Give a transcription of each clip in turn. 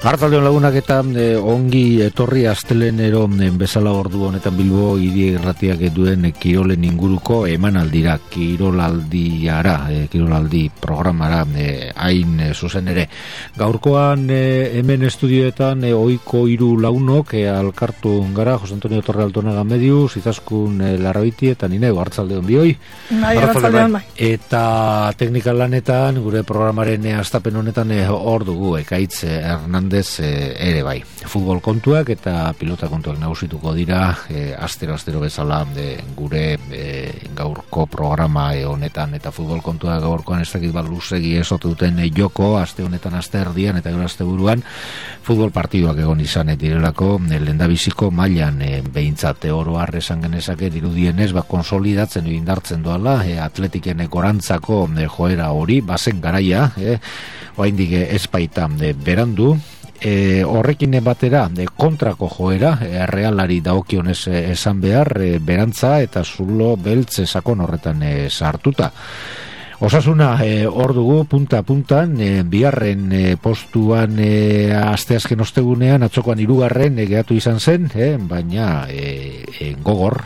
Arratsaldeon lagunak eta ongi etorri astelenero bezala ordu honetan Bilbo hiri irratiak duen kirolen inguruko emanaldira, kirolaldi programara hain zuzen ere. Gaurkoan hemen estudioetan ohiko hiru lagunok alkartu gara, Jose Antonio Torre Altonaga Medius, Izaskun Larrabiti eta Nineu, arratsaldeon bioi. Arratsaldeon bai. Eta teknikal lanetan gure programaren hastapen honetan hor dugu Ekaitz Hernandez ere bai. Futbol kontuak eta pilota kontuak nagusituko dira astero bezala gure gaurko programa honetan, eta futbol kontuak gaurkoan ez dakit bat luzegi esote duten joko aste honetan, aste erdian eta gero aste buruan futbol partiduak egon izan direlako lehendabiziko mailan behintzat oro har esan genezake dirudienez konsolidatzen indartzen doala Atletiken gorantzako joera hori bazen garaia oraindik ez baita berandu. Horrekin batera kontrako joera Realari dagokionez esan behar berantza eta zulo beltz sakon horretan sartuta. Osasuna hor dugu punta-puntan, bigarren postuan asteazken ostegunean, atzokoan 3. geratu izan zen, baina gogor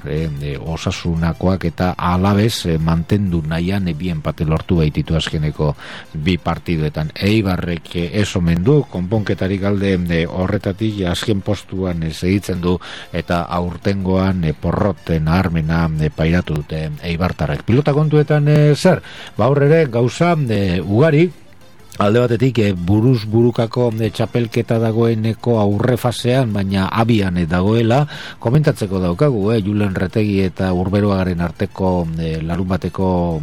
Osasunakoak eta Alabez mantendu nahian bi enpate lortu baititu azkeneko bi partiduetan. Eibarrek ez omen du, konponketarik alde horretatik azken postuan segitzen du eta aurtengoan porroten armena pairatu dute Eibartarrek. Pilota kontuetan zer? Aurrere gauza ugari, alde batetik buruz burukako txapelketa dagoeneko aurre fasean, baina abian dagoela, komentatzeko daukagu, Julen Retegi eta Urberoagaren arteko larun bateko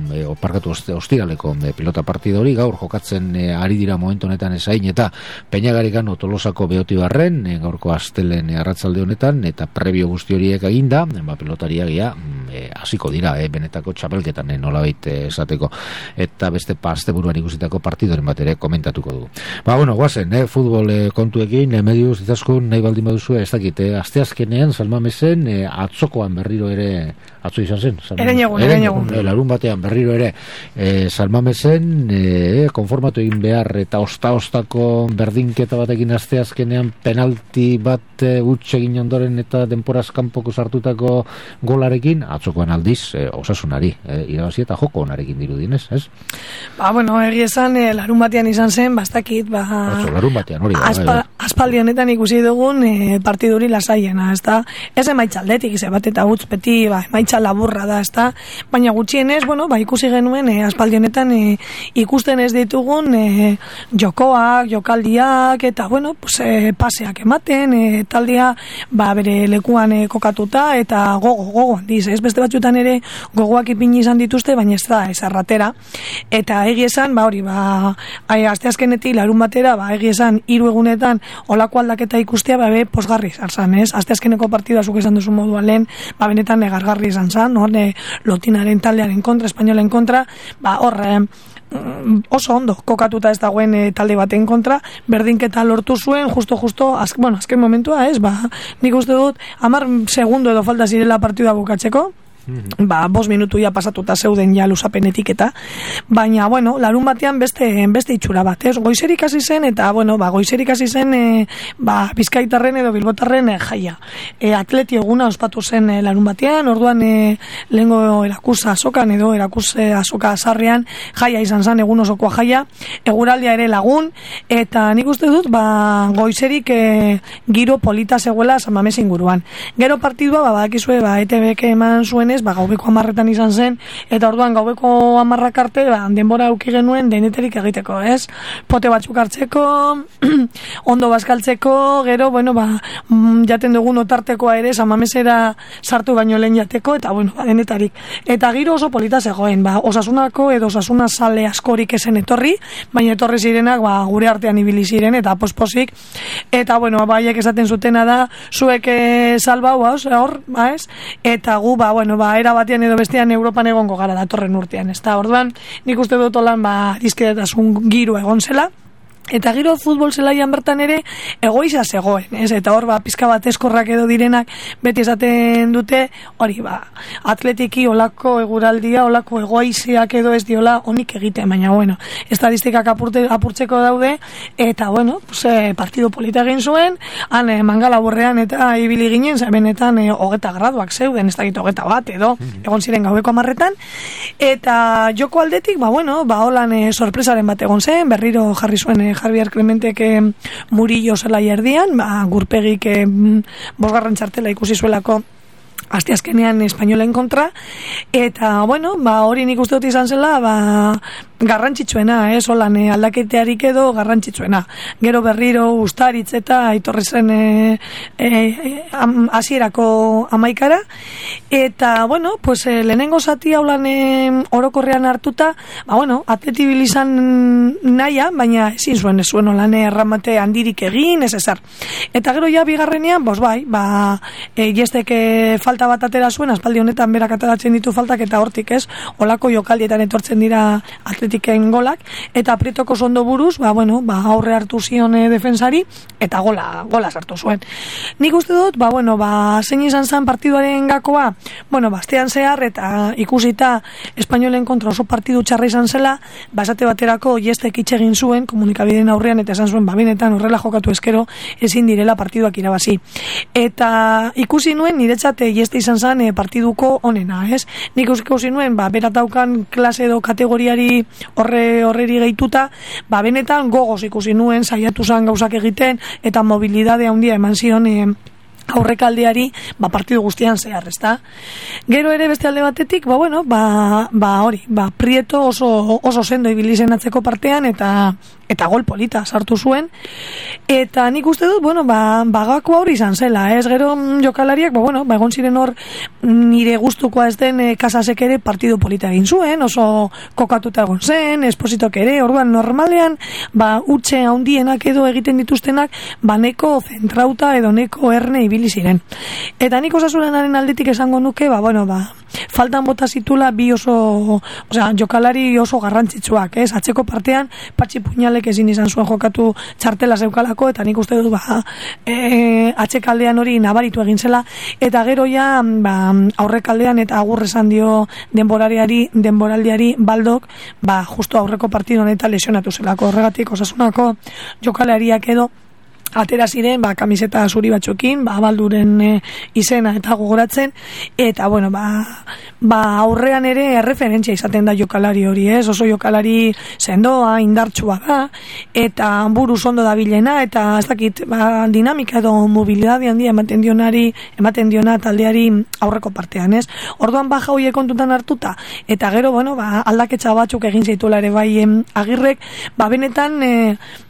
ostiraleko pilota partida hori, gaur jokatzen ari dira momentu honetan esain, eta Peñagarikan Tolosako Beotibarren, gaurko astelen arratsalde honetan, eta prebio guzti horiek eginda, pilotariagia hasiko dira, benetako txapelketan nolabait esateko, eta beste asteburuan ikusitako partidoren bat ere komentatuko dugu. Guazen, futbol kontuekin, Medius, Izaskun, nahi baldin baduzu, ez dakit, asteazkenean, Salmamesen, atzokoan berriro ere, atzo izan zen? Erenegun. Larun batean berriro ere, Salmamesen, konformatu egin behar, eta ostako berdinketa batekin asteazkenean, penalti bat huts egin ondoren eta denporaz kanpoko sartutako golarekin, atzokoan aldiz, Osasunari, irabazi eta joko onarekin dirudinez, ez? Egi esan, larun batean izan zen, bastakit, larun batean, hori aspaldi honetan ikusi dugun partiduri lasaiena, ez da? Ez emaitxaldetik, ze bat eta utz beti, emaitxa laburra da, ez da? Baina gutxienez, ikusi genuen, aspaldi honetan ikusten ez ditugun jokoak, jokaldiak, eta, paseak ematen, taldea, bere lekuan kokatuta, eta gogo handiz, ez beste batzuetan ere gogoak ipini izan dituzte, baina ez da, ez arratera, eta egi esan, asteazkenetik larun batera, egi esan 3 egunetan olako aldaketa ikustea, posgarri izan zan, ez? Asteazkeneko partida zuk esan duzu moduan lehen, benetan negargarri izan zan, Lotinaren taldearen kontra, Espainolen kontra, oso ondo kokatuta ez dagoen talde baten kontra, berdinketa lortu zuen, justo, azken momentua, ez? Nik uste dut, 10 segundo edo falta zirela partida bukatzeko, 5 minutu ja pasatuta zeuden ja luzapenetik eta, baina, larun batean beste itxura bat, ez? Goizerik hasi zen, eta, goizerik hasi zen, Bizkaitarren edo Bilbotarren jaia. Atleti eguna ospatu zen larun batean, orduan lehengo erakusa azokan edo erakusa azoka azarrean jaia izan zen, egun osokoa jaia, eguraldia ere lagun, eta nik uste dut, goizerik giro polita zegoela San Mames inguruan. Gero partidua, badakizue, ETBek eman zuen gaubeko 10etan izan zen, eta orduan gaubeko 10 arte, denbora auki genuen deneterik egiteko, ez? Pote batzuk hartzeko, ondo bazkaltzeko, gero, jaten dugun otartekoa ere, San Mamesera sartu baino lehen jateko, eta, denetarik. Eta giro oso polita zegoen, Osasunako edo Osasuna sale askorik esen etorri, baina etorri zirenak, gure artean ibili ziren, eta posposik, eta, baiek esaten zutena da, zuek salbau, hor, ez? Eta gu, era batean edo bestean Europan egongo gara datorren urtean, ez da, orduan, nik uste dut olan, dizkedetasun giro egon zela, Eta gero futbol zelaian bertan ere egoiza zegoen, ez? Eta hor pizka bat eskorrak edo direnak beti esaten dute, hori atletiki olako eguraldia, olako egoiziak edo ez diola onik egiten, baina bueno, estadistikak apurtzeko daude, eta bueno, partido polita egin zuen, han Mangala borrean eta ibili ginen, benetan 20 graduak zeuden, ez dakit 21 edo, egon ziren gaueko 10etan, eta joko aldetik, holan sorpresaren bat egon zen, berriro jarri zuen Javier Clementek Murillo zelai erdian, Gurpegik 5. txartela ikusi zuelako asteazkenean espainolen kontra, eta hori nik uste dut izan zela garrantzitsuena, holan aldaketearik edo garrantzitsuena. Gero berriro Ustaritz eta aitorri zen hasierako 11 eta lehenengo zati haulan orokorrean hartuta, atleti izan nahia, baina ezin zuen holan erramate handirik egin, ez ezer. Eta gero ja bigarrenean, Jestek falta bat atera zuen, aspaldi honetan berak ateratzen ditu faltak, eta hortik olako jokaldietan etortzen dira atletiken golak, eta Prietoko sondo buruz, aurre hartu zion defensari, eta gola sartu zuen. Nik uste dut, zein izan zen partiduaren gakoa, astean zehar, eta ikusita espainolen kontra oso partidu txarra izan zela, esate baterako Jestek itxegin zuen, komunikabideen aurrean, eta esan zuen, benetan horrela jokatu eskero, ezin direla partiduak irabazi. Eta ikusi nuen, niretzat Jeste izan zen partiduko onena, ez? Nik ikusi nuen, berataukan klase edo kategoriari horreri gehituta, benetan gogoz ikusi nuen, saiatu zen gauzak egiten, eta mobilidade handia eman zion aurrekaldeari partidu guztian zehar, ezta? Gero ere beste alde batetik, Prieto oso sendo ibili zen atzeko partean, eta gol polita sartu zuen, eta nik uste dut, bagako hori izan zela, ez? Gero jokalariak, egon ziren hor nire gustukoa ez den Kasasek ere partidu polita egin zuen, oso kokatuta egon zen, Espositok ere, orduan normalean, utxe handienak edo egiten dituztenak, neko zentrauta edo neko erne ibili ziren. Eta nik Osasunaren aldetik esango nuke, faltan bota zitula bi jokalari oso garrantzitsuak, ez? Atzeko partean, Patxi Puñalek ezin izan zuen jokatu txartela zeukalako, eta nik uste dut, atzekaldean hori nabaritu egin zela, eta gero ja, aurrekaldean eta agur esan dio denboraldiari Baldok, justo aurreko partidu honetan lesionatu zelako, horregatik Osasunako jokalariak edo atera ziren, kamiseta zuri batzuekin, Balduren izena eta gogoratzen, eta aurrean ere referentzia izaten da jokalari hori, ez? Oso jokalari sendoa, indartsua da, eta buruz ondo dabilena, eta ez dakit, dinamika edo mobilidade handia ematen diona taldeari aurreko partean, ez? Orduan baja hoiek kontutan hartuta, eta gero, aldaketxa batzuk egin zaituela ere Agirrek, benetan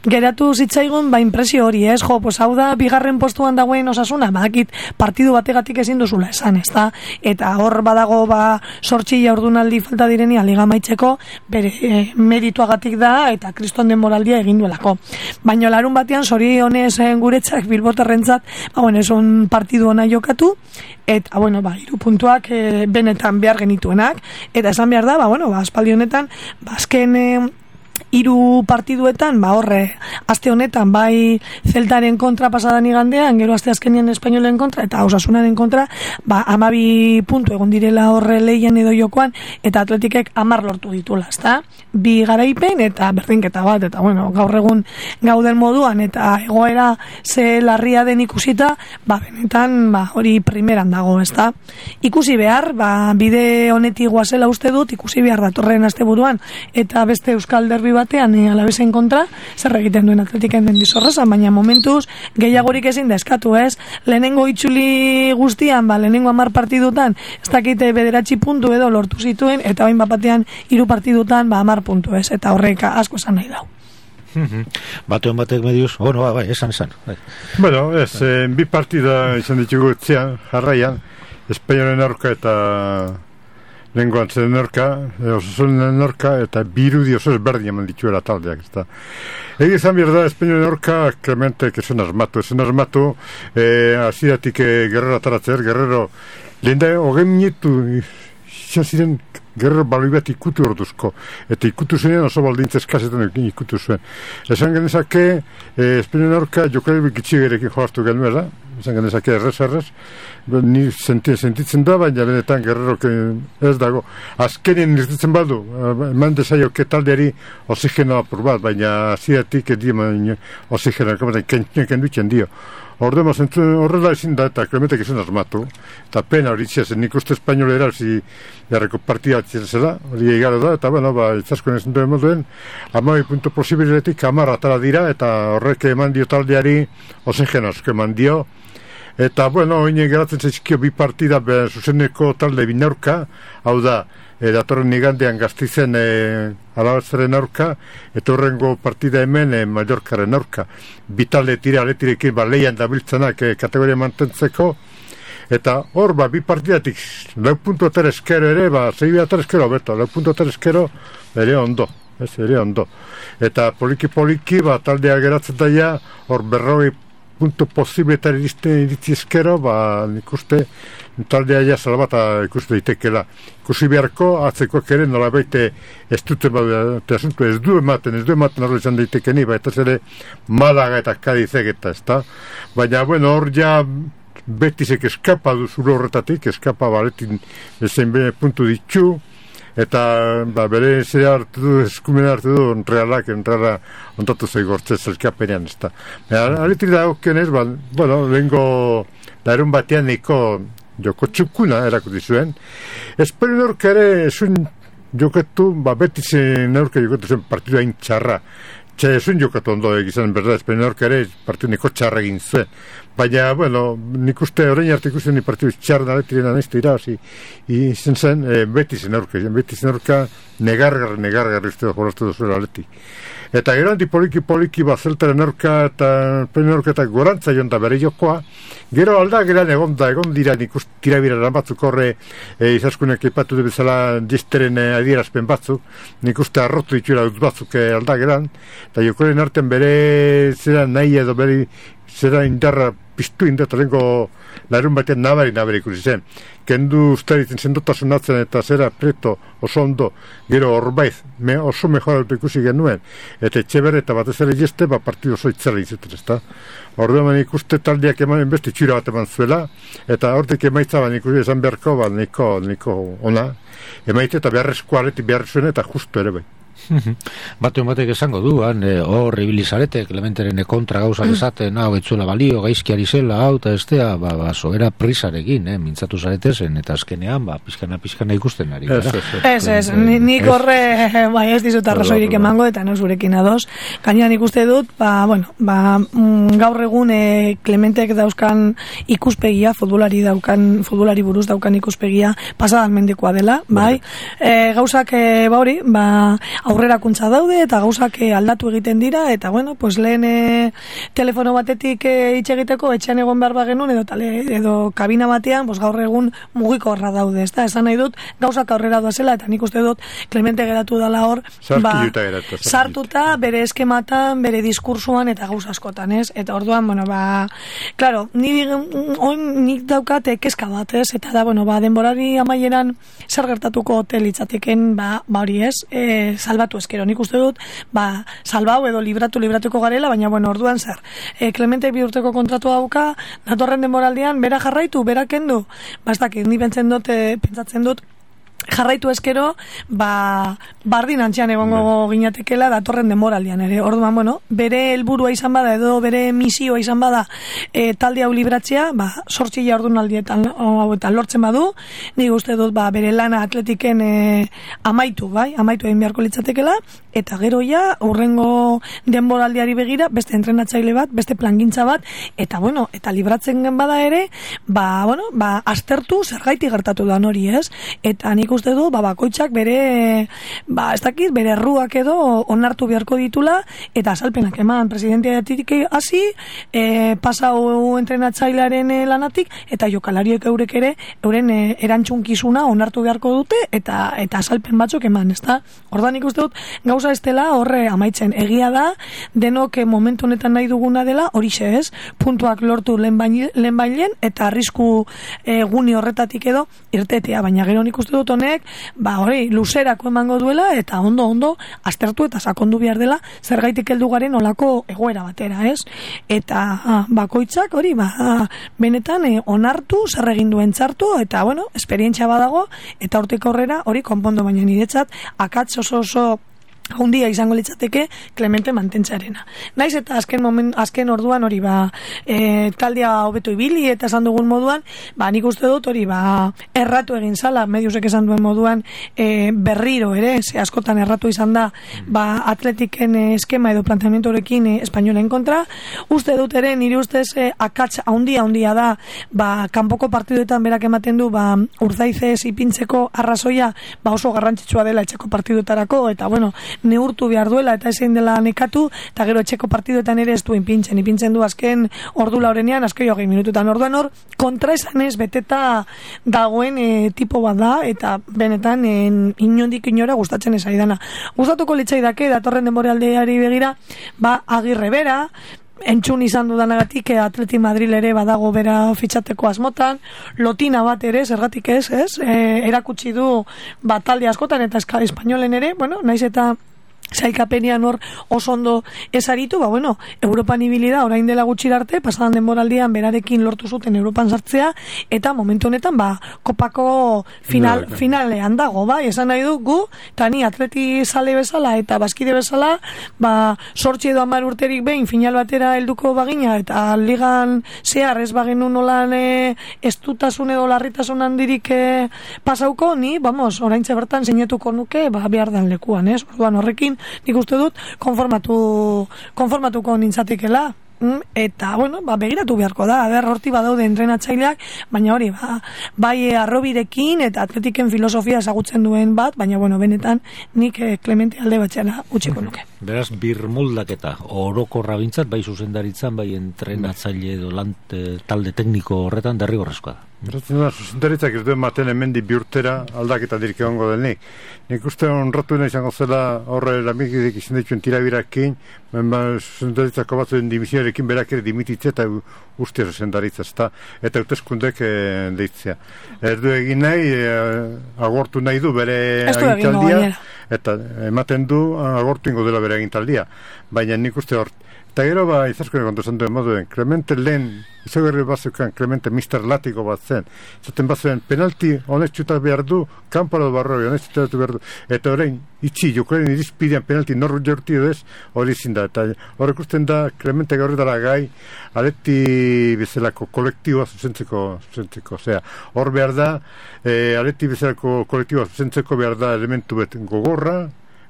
geratu zitzaigun impresio hori, ez? Hau da, bigarren postuan dagoen Osasuna, badakit partidu bategatik ezin duzula esan, ezta? Eta hor badago 8 ordunaldi falta direnia liga amaitzeko, bere merituagatik da, eta kriston denboraldia egin duelako. Baina larun batean, zorionez guretzak bilbotarrentzat, eson partidu ona jokatu, eta, 3 puntuak benetan behar genituenak, eta esan behar da, aspaldi honetan, azken 3 partiduetan, aste honetan, bai Zeltaren kontra pasadan igandean, gero aste azkenean espainolen kontra, eta Osasunaren kontra, 12 puntu egon direla horre lehian edo jokoan, eta Atletikek 10 lortu ditula, ezta? 2 garaipen, eta berdinketa bat, eta gaur egun gauden moduan, eta egoera ze larria den ikusita, benetan, hori primeran dago, ezta? Ikusi behar, bide honetik guazela uste dut, ikusi behar datorren asteburuan, eta beste Euskal Derbi batean Alavesen kontra, zer egiten duen Atletiken den dizorrezan, baina momentuz gehiagorik ezin da eskatu, ez? Lehenengo itxuli guztian, lehenengo 10 partidutan, ez dakite 9 puntu edo lortu zituen, eta bain batean 3 partidutan 10 puntu, ez? Eta horrek asko esan nahi dau. Batean batek mediuz, esan. Bi partida izan ditugu jarraian, Espainolen aurka eta lenguan zen aurka, Osasunen aurka, eta birudi oso ezberdin eman dituela taldeak, ezta. Egi izan behar da, Espainolen aurka, Clementek esan armatu, hasieratik Guerrero ataratzer, Guerrero, lehen da, 20 minutu, izan ziren Gero baloi bat ikutu orduzko. Eta ikutu zenean oso baldintza eskazetan ikutu zuen. Esan genezake, Espainiaren aurka jokalari gitxigerekin joartu genuela, esan genezake errez, ni sentitzen da, baina benetan Guerrerok ez dago. Azkenien irtitzen badu, eman dezaioke taldeari oxigenoa apur bat, baina aziatik edio oxigenoa, kendutzen dio. Ordema zentzuen horrela ezin da, eta Klementek izan asmatu. Eta pena hori itxezen, nik uste espainolera jarreko partia zela, hori egara da, eta bueno, itzaskoen ezin duen moduen, 12 punto posibiletik 10 atara dira, eta horrek eman dio taldeari oxigeno asko eman dio. Eta bueno, oine geratzen zaizkio bi partida zuzeneko talde binaurka, hau da, datorren igandean Gasteizen Alabatzaren aurka, eta horrengo partida hemen Mallorcaren aurka. Bitalde aletirekin leian dabiltzenak kategoria mantentzeko, eta hor bi partidatik 4 puntu atera eskero ere, 6 atera eskero beto, 4 puntu atera eskero ere ondo. Ere ondo. Eta poliki taldea geratzen daia, hor 40 puntu posibletar iritzi eskero, nik uste taldea ja salbata ikuste daitekela. Ikusi beharko, atzekoak ere nola baite ez du ematen horre izan daitekeni, baita ere Malaga eta Kadizek eta ez da. Baina, bueno, hor ja Betisek eskapa du zure horretatik, eskapa baletin ezen puntu ditu, eta bere zera hartu du, eskumena hartu du Reala ondatu zaigortzez elkapenean ez da. Aletri da okionez, bueno, lehenko darun batean niko joko txukuna erakuti zuen. Espero neurka ere esun joketu, Betizen neurka joketu zuen partidu hain txarra. Esun jokatu ondo egizan, berda, espero neurka ere partidu niko txarra egin zuen. Baina, bueno, nik uste horrein arte ikusten ni partidu txarra aletriena nahizte irabazi. Izen zen, Betizen neurka negargarri uste jolaztu duzuela aleti. Eta gero handi poliki Zeltaren aurka eta Peñarroka eta gorantza joan da bere jokoa. Gero aldageran egon dira nik uste tirabiran batzuk horre izaskunek ipatu du bezala disteren adierazpen batzuk. Nik uste arrotu ditura dut batzuk aldageran. Eta jokoren artean bere zera nahi edo bere zera indarra piztu eta lengo larun batean nabari ikusi zen. Kendu ustaritzen sendotasun atzen eta zera preto oso ondo, gero horbaiz, oso mejoratu ikusi genuen. Eta Etxeber eta batez ere jeste, partidu oso itzela izuten, ez da. Orduan ikuste taldeak emanen beste txura bat eman zuela, eta hortik emaitza ikusi esan beharko, niko ona. Emaite eta beharrezko areti beharrezuen eta justu ere bai. Batuen batek esango du, hor ibilizarete, Klementeren kontra gauzak esaten, hau etzuela balio, gaizkiari zela, hau eta estea, sobera prisarekin, mintzatu zarete zen, eta azkenean, pizkana ikusten ari. Ez, nik horre, ez dizut arrazoirik emango, eta no zurekin ados. Gainean ikuste dut, gaur egun Klementek dauzkan ikuspegia, futbolari buruz daukan ikuspegia, pasadan mendekoa dela, bai? Gauzak, aurrerakuntza daude eta gauzak aldatu egiten dira eta bueno, pues lehen telefono batetik hitz egiteko etxean egon behar bagenun edo kabina batean, pues gaur egun mugikorra daude, ezta? Esan nahi dut gauzak aurrera doazela eta nik uste dut Klemente geratu dela hor sartuta bere eskematan, bere diskursuan eta gauz askotan, ez? Eta orduan, bueno, claro, nik daukat kezka bat, ez? Eta da, bueno, denborari amaieran zer gertatuko hotel litzateken, hori ez, salbatu eskero. Nik uste dut, salbau edo libratuko garela, baina, bueno, orduan zer. Klemente 2 urteko kontratu dauka, datorren denboraldian, bera jarraitu, bera kendu. Ez dakit, ni pentsatzen dut, jarraitu eskero, bardin antxean egongo ginatekela datorren denboraldian ere. Orduan, bueno, bere helburua izan bada edo bere misioa izan bada talde hau libratzea, 8 jardunaldietan hauetan lortzen badu, nik uste dut bere lana atletiken amaitu egin beharko litzatekela, eta gero ja, urrengo denboraldiari begira, beste entrenatzaile bat, beste plangintza bat, eta bueno, eta libratzen gen bada ere, aztertu zergaiti gertatu da hori, ez? Eta nik uste du, bakoitzak bere, ez dakit, bere erruak edo onartu beharko ditula, eta azalpenak eman presidenteatik hasi, pasau entrenatzailearen lanatik, eta jokalariek eurek ere, euren erantzunkizuna onartu beharko dute, eta azalpen batzuk eman, ez da? Ordan nik uste dut, gauza gauza ez dela horre amaitzen. Egia da, denok momentu honetan nahi duguna dela, horixe ez, puntuak lortu lehenbailen, eta arrisku guni horretatik edo irtetea, baina gero nik uste dut honek, hori, luzerako emango duela, eta ondo aztertu eta sakondu behar dela, zergaitik heldu garen olako egoera batera, ez? Eta bakoitzak hori, benetan onartu, zer egin duen txartu, eta, bueno, esperientzia badago, eta hortik aurrera hori konpondo, baina niretzat akats oso handia izango litzateke Clemente mantentzarena. Naiz eta azken orduan hori taldea hobeto ibili eta esan dugun moduan, nik uste dut hori erratu egin zala, mediusek esan duen moduan berriro ere, ze askotan erratu izan da atletiken eskema edo planteamentorekin espainolen kontra. Uste dut ere, nire ustez akats handia da, kanpoko partiduetan berak ematen du Urzaizez ipintzeko arrazoia oso garrantzitsua dela etxeko partiduetarako, eta bueno, neurtu behar duela eta ezin dela nekatu, eta gero etxeko partiduetan ere ez du ipintzen du azken ordu laurenean, azken 20 minututan. Orduan hor, kontraesanez beteta dagoen tipo bat da, eta benetan inondik inora gustatzen ez aidana. Gustatuko litzaidake datorren denboraldiari begira, Agirre bera, entzun izan dudanagatik Atleti Madrid ere badago bera fitxateko asmotan, lotina bat ere, zergatik ez, erakutsi du talde askotan eta espainolen ere, bueno, naiz eta sailkapenean hor oso ondo ezaritu, Europan ibili da orain dela gutxi arte, pasadan denboraldian berarekin lortu zuten Europan sartzea, eta momentu honetan kopako finalean dago, esan nahi du gu, eta ni atleti zale bezala eta bazkide bezala, 8 edo 10 urterik behin final batera helduko bagina, eta ligan zehar ez bagenu nolan estutasun edo larritasun handirik pasauko, ni, oraintxe bertan sinatuko nuke, behar dan lekuan, orduan horrekin nik uste dut konformatuko nintzatikela, eta, begiratu beharko da, horti badaude entrenatzaileak, baina hori, arrobirekin eta atletiken filosofia ezagutzen duen bat, baina, benetan, nik Clemente alde batxela utziko nuke. Beraz, birmoldaketa, orokorra bintzat, bai zuzendaritzan, bai entrenatzaile edo talde tekniko horretan derrigorrezkoa da. Beratzen da, zuzendaritzak ez duen maten hemendi bi urtera aldaketa dirik egongo denik. Nik uste onratu izango zela horre lamikidik izan dituen tirabirakin, zuzendaritzako batzuen dimisioarekin berak ere dimititzea eta uste zuzendaritza, eta hauteskundek deitzea. Ez du egin nahi, agortu nahi du bere agintaldia, eta ematen du agortu ingo dela bere agintaldia. Baina nik uste hor, eta gero izaskone kontu esan duen moduen, Clemente lehen, izagarri bazukan Clemente Mr. Latiko bat zen, zaten bazuen penalti honetxutat behar du, kanparo barroi honetxutat behar du, eta orain itxi, jokoaren irizpidean penalti norru jorti edo ez, hori zinda, eta horrek usten da Clemente gaurri dara gai, Aleti bezalako kolektiboa zuzentzeko, osea, hor behar da, Aleti bezalako kolektiboa zuzentzeko behar da elementu bet gogorra,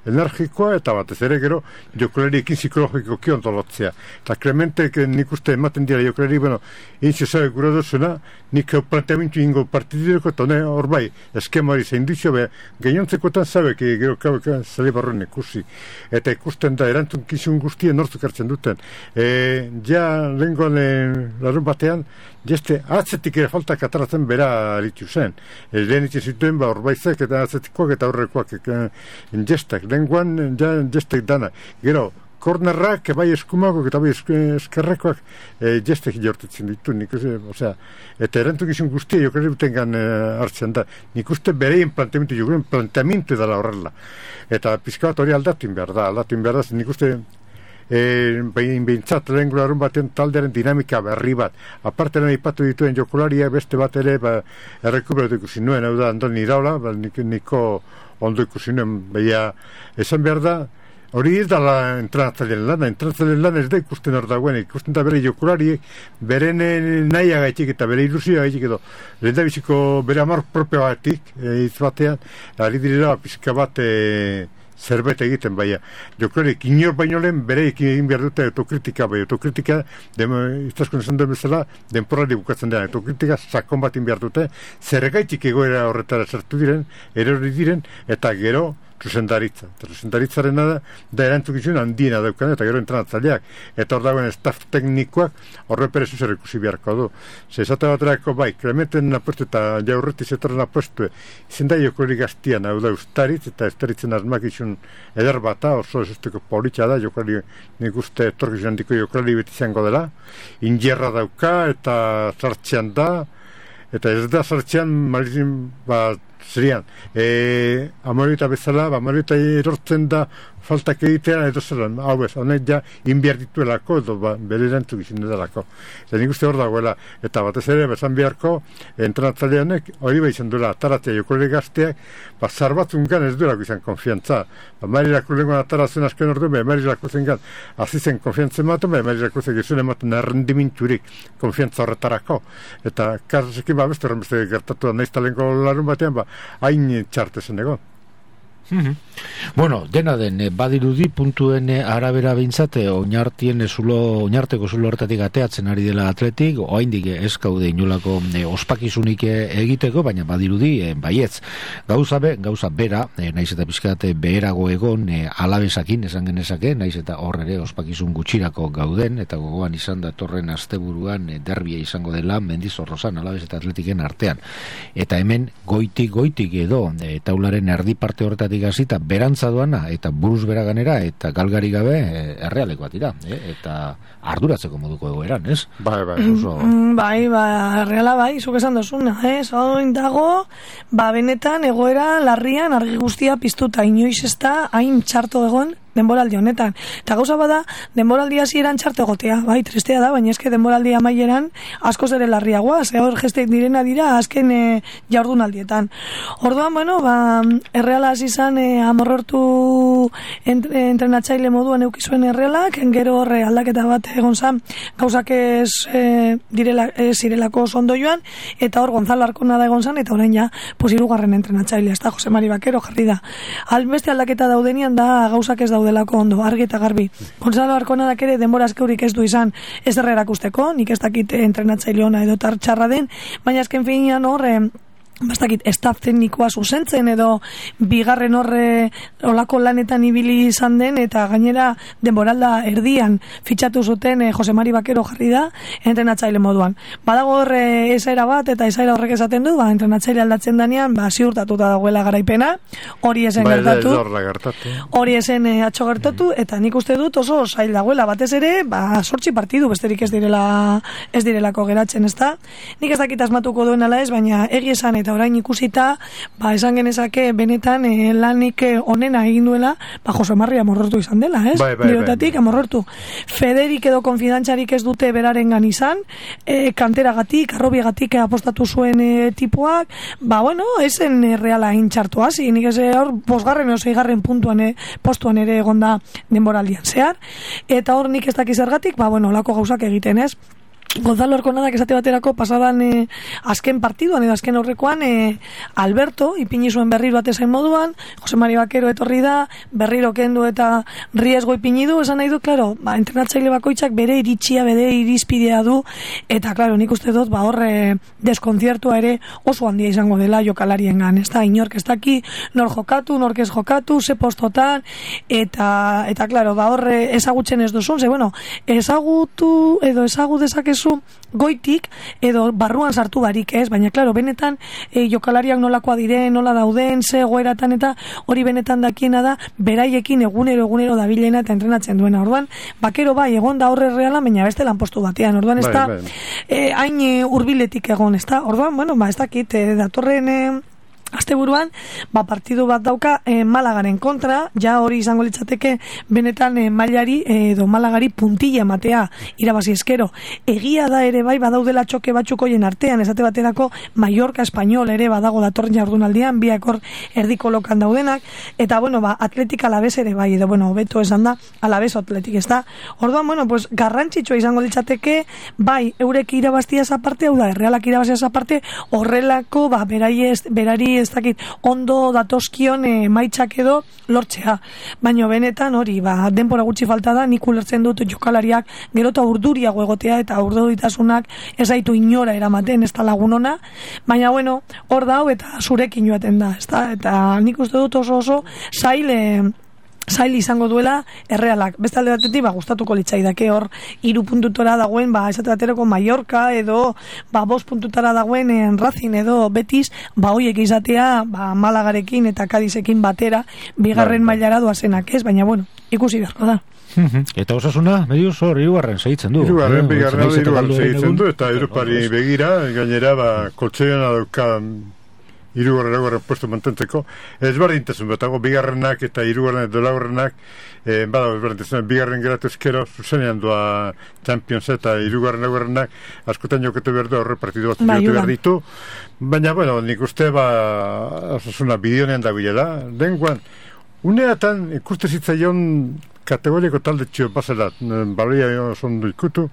energikoa, eta batez ere gero jokolariekin psikologiko kiontolotzea. Eta Clementek nik uste ematen dira jokolari, intxo zabe gura duzuna, nik planteamentu ingo partidureko, eta hor bai, eskema hori zein duzio, gainontzekoetan zabek, gero kabeka zale barroen ikusi. Eta ikusten da, erantzun kizun guztien nortzuk hartzen duten. Lehenkoan larun batean, jeste atzetik ere faltak ataratzen bera aritu zen. Lehen itxe zituen, horbaizek eta atzetikoak eta horrekoak jestak. Lehenkoan jestek dana. Gero, kornerrak, bai eskumakok eta bai eskerrekoak jestek jortetzen ditu. Eta erantzukizun guztia jokarri butengan hartzen da. Nik uste bereien planteamentu edala horrela. Eta pizka bat hori aldatin behar da, nik uste behintzat lehen gularun baten taldearen dinamika berri bat. Aparte lehen ipatu dituen jokularia beste bat ere errekuperatu ikusi nuen, hau da Andoni Iraola, niko ondo ikusi nuen, esan behar da, hori ez da entrenatzaileen lana ez da ikusten hor dagoen, ikusten da bere jokulari, bere nahiaga gaitik eta bere ilusioa gaitik edo, lehen da biziko bere amor propio batik, izbatean, ari direla pizka bat zerbait egiten, jokularek inor baino lehen bereik egin behar dute autokritika, autokritika, iztaskun esan duen bezala, denporari bukatzen dena, autokritika sakon bat behar dute, zergaitik egoera horretara sartu diren, erori diren, eta gero zuzendaritza. Eta zuzendaritzaren da erantzukizun handiena daukan, eta gero entrenatzaileak. Eta hor dagoen staff teknikoak horre perezu zer ikusi beharko du. Ze esate baterako bai, Klementen apuestu eta Jaurreti zetorren apuestu, izen da jokorik gaztian, hau da ustaritz, eta ustaritzen asmakizun eder bata, oso esusteko politxa da, jokari nik uste etorkizun handiko jokari beti izango dela, injerra dauka, eta sartzean da, eta ez da sartzean marizin, zerian, amorita bezala, amorita erortzen da faltak egitea, edo zelan, hau ez, honek ja inbiar dituelako, edo bere erantzuk izin edalako. Eta nik uste hor dagoela, eta batez ere, bezan biharko, entrenatzaileanek, hori izan duela, ataratzea jokolek gazteak, zarbatzungan ez duelako izan konfiantza. Marilako lenguan ataratzen asken ordu, Marilako zengan, azizen konfiantzen ematen, Marilako zen ematen errendiminturik konfiantza horretarako. Eta kasekin, beste horren beste gertatu da, nahiz talenko larun batean, hain txartezen egon. Bueno, dena den badirudi puntuen arabera behintzat oinarteko zulo hortatik ateatzen ari dela Atletik, oraindik ez gaude inolako ospakizunik egiteko, baina badirudi baietz. Gauza bera, naiz eta pizkat beherago egon Alabesakin esan genezake, naiz eta hor ere ospakizun gutxirako gauden, eta gogoan izan datorren asteburuan derbia izango dela Mendizorrozan Alabes eta Atletiken artean. Eta hemen goitik edo taularen erdi parte horretatik hasita berantza doana eta buruz bera ganera eta galgari gabe errealekoak dira, eta arduratzeko moduko egoeran, ez? Bai, erreala bai, zuk esan dozuna, oin dago, benetan egoera larrian argi guztia piztuta, inoiz ez da hain txarto egon denboraldi honetan. Eta gauza bada, denboraldi hasieran txarte egotea, bai, tristea da, baina eske denboraldi amaieran askoz ere larriagoa, hor gestek direna dira azken jardunaldietan. Orduan, erreala hasi izan amorrortu entrenatzaile moduan eukizuen errealak, gero horre aldaketa bat egon zan, gauzak ez zirelako ondo joan, eta hor Gonzalo Arkona da egon zan, eta orain ja, hirugarren entrenatzailea, ez da, Jose Mari Bakero jarri da. Beste aldaketa daudenian da gauzak ez daudelako ondo, argi eta garbi. Gonzalo Arkonadak ere denbora azkeurik ez du izan ez erakusteko, nik ez dakit entrenatzaile ona edo txarra den, baina azken finean hor bastakit, estaf teknikoa zuzentzen edo bigarren horre olako lanetan ibili izan den, eta gainera denboralda erdian fitxatu zuten Jose Mari Bakero jarri da entrenatzaile moduan. Badago horre esaera bat, eta esaera horrek esaten du, entrenatzaile aldatzen danean, ziurtatuta dagoela garaipena, hori esen gertatu, hori esen atxo gertatu, eta nik uste dut oso zail dagoela, batez ere, 8 partidu besterik ez direlako geratzen, ez da? Nik ez dakit asmatuko duen ala ez, baina egi esan eta orain ikusita, esan genezake benetan lanik onena egin duela, Jose Mari amorrortu izan dela, ez? Birotatik amorrortu. Federik edo konfidantzarik ez dute berarengan izan, kanteragatik, arrobiagatik apostatu zuen tipuak, esen reala intxartu hasi, nik ez hor 5. o 6. postuan ere egonda denboraldian zehar, eta hor nik ez dakiz zergatik, olako gauzak egiten, ez? Gonzalo Arkonadak esate baterako pasadan azken partiduan edo azken horrekoan Alberto ipini zuen berriro atezain moduan, Jose Mari Bakero etorri da, berriro kendu eta riesgo ipini du, esan nahi du, klaro, entrenatzaile bakoitzak bere iritzia, bere irizpidea du, eta klaro, nik uste dut, horre deskontziertua ere oso handia izango dela jokalariengan, ez da, inork ez daki, nor jokatu, nork ez jokatu, ze postotan, eta klaro, horre ezagutzen ez duzun, ezagutu edo ezagu dezakezu goitik edo barruan sartu barik, ez? Baina, klaro, benetan jokalariak nolakoa diren, nola dauden, ze egoeratan, eta hori benetan dakiena da, beraiekin egunero dabilena eta entrenatzen duena. Orduan, Bakero bai, egon da horre reala, baina beste lanpostu batean. Orduan, ez da, hain hurbiletik egon, ez da? Orduan, ez dakit, datorren asteburuan, partidu bat dauka Malagaren kontra, ja hori izango litzateke benetan mailari edo Malagari puntilla ematea irabazi eskero. Egia da ere bai badaudela txoke batzuk hoien artean, esate baterako Mallorca Español ere badago datorren jardunaldian, biak hor erdiko lokan daudenak, eta Atletik Alabes ere bai, edo hobeto esan da, Alabes Atletik ez da. Orduan, garrantzitsua izango litzateke, bai, eurek irabaztia esa parte, hau da, errealak irabazia esa parte, horrelako, berari ez dakit ondo datoskion emaitzak edo lortzea. Baina benetan hori, denbora gutxi falta da, nik ulertzen dut jokalariak gero eta urduriago egotea eta urduritasunak ez zaitu inora eramaten, ez da lagunona, baina bueno, hor dau eta zurekin joaten da, ez da? Eta nik uste dut oso zail izango duela Errealak. Beste alde batetik, gustatuko litzaidake hor 3 puntutora dagoen, esate baterako Mallorca edo 5 puntutara dagoen Racing edo Betis, hoiek izatea Malagarekin eta Cadizekin batera bigarren mailara doazenak, ez? Baina bueno, ikusi beharko da. Eta Osasuna, mediuz hor, hirugarren segitzen du. Hirugarren segitzen du, eta Europari begira, gainera, koltzoiona dauka hirugarren puesto mantentzeko, ezberdintasun betago, bigarrenak eta hirugarren edo laugarrenak, ezberdintasun, bigarren geratu eskero, zuzenean doa Champions eta hirugarren laugarrenak, askotan joketu behar du, horre partidu bat joketu behar ditu, baina, bueno, nik uste, Osasuna bideonean da bilela, denguan, uneatan ikuste zitzaion kategoriako talde txio bazelat, baloia ondo ikutu,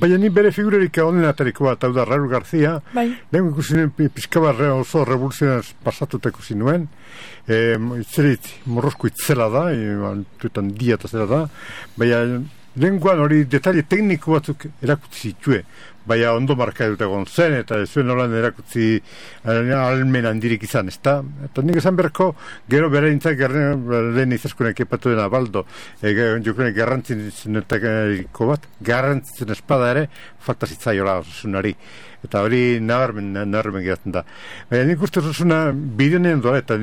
baina ni bere figurerik honen atariko bat, hau da Raúl García, lehen ikusi nuen pizkabarre oso revoluzionaz pasatuta ikusi nuen, itzerit morrozko itzela da, tuetan dia eta zela da, baina lenguan hori detalle tekniko batzuk erakutsi zitue, baina ondo marka dut egon zen, eta zuen nolan erakutsi almen handirik izan, ez da? Eta nik esan berko, gero bere nintzak lehen izaskunek epatu dena baldo, jokunek garrantzinetariko bat, garrantzitzen espada ere, falta zitzaiola Osasunari. Eta hori nabarmen geratzen da. Baina nik uste Osasuna bideonean doa, eta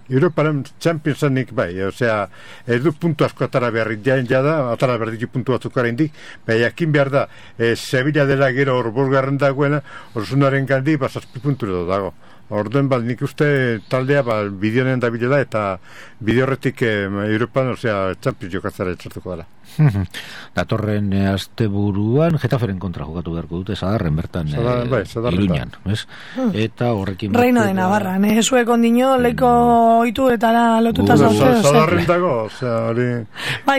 Europaren Championsanik osea, ez du puntu asko atara beharrik jada, atara behar ditu puntu batzuk indik, baina jakin behar da, Sevilla dela gero hor bosgarren dagoena, Osasunaren gandi, 7 puntu edo dago. Orden nik uste taldea bideonean da bilela eta bideo horretik Europan, osea, Champions jokatzara etxartuko dela. Datorren asteburuan Getaferen kontra jokatu beharko dute, Sadarren bertan Iruñan, ez? Eta horrekin Reino de Navarra, zuek ondino leiko oitu eta lotuta zauzeo. Sadarren dago, osea, hori...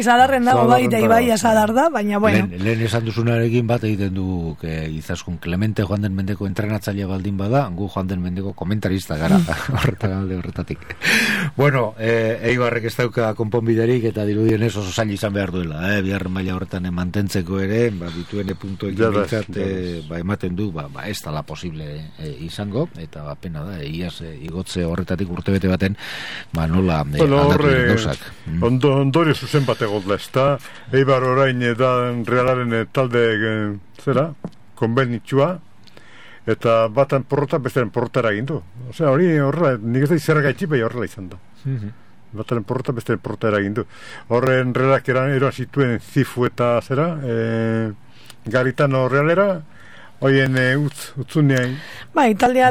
Sadarren dago, Ibaia Sadar da, baina bueno. Lehen esan duzunarekin bat egiten du izaskun Clemente Joan den Mendeko entrenatzailea baldin bada, gu Joan den Mendeko komentarista gara horretatik. Bueno, Eibarrek ez dauka konponbiderik eta dirudienez oso zail izan behar duela, bigarren maila horretan mantentzeko ere, dituen puntuek ematen du, ez dala posible izango, eta pena da, iaz igotze horretatik urtebete baten, nola aldatu gauzak. Ondorio zuzen bat egodla, ez da, Eibar orain da Realaren talde konbenitxua, eta batan porrota, bestearen porrota eragindu. Osea, hori horrela, nik ez da izerra gaitxi, bai horrela izan da. Bataren porrota, bestearen porrota eragindu. Horren realak eroan zituen Zifu eta Garitano realera, hoien utzunean. Taldea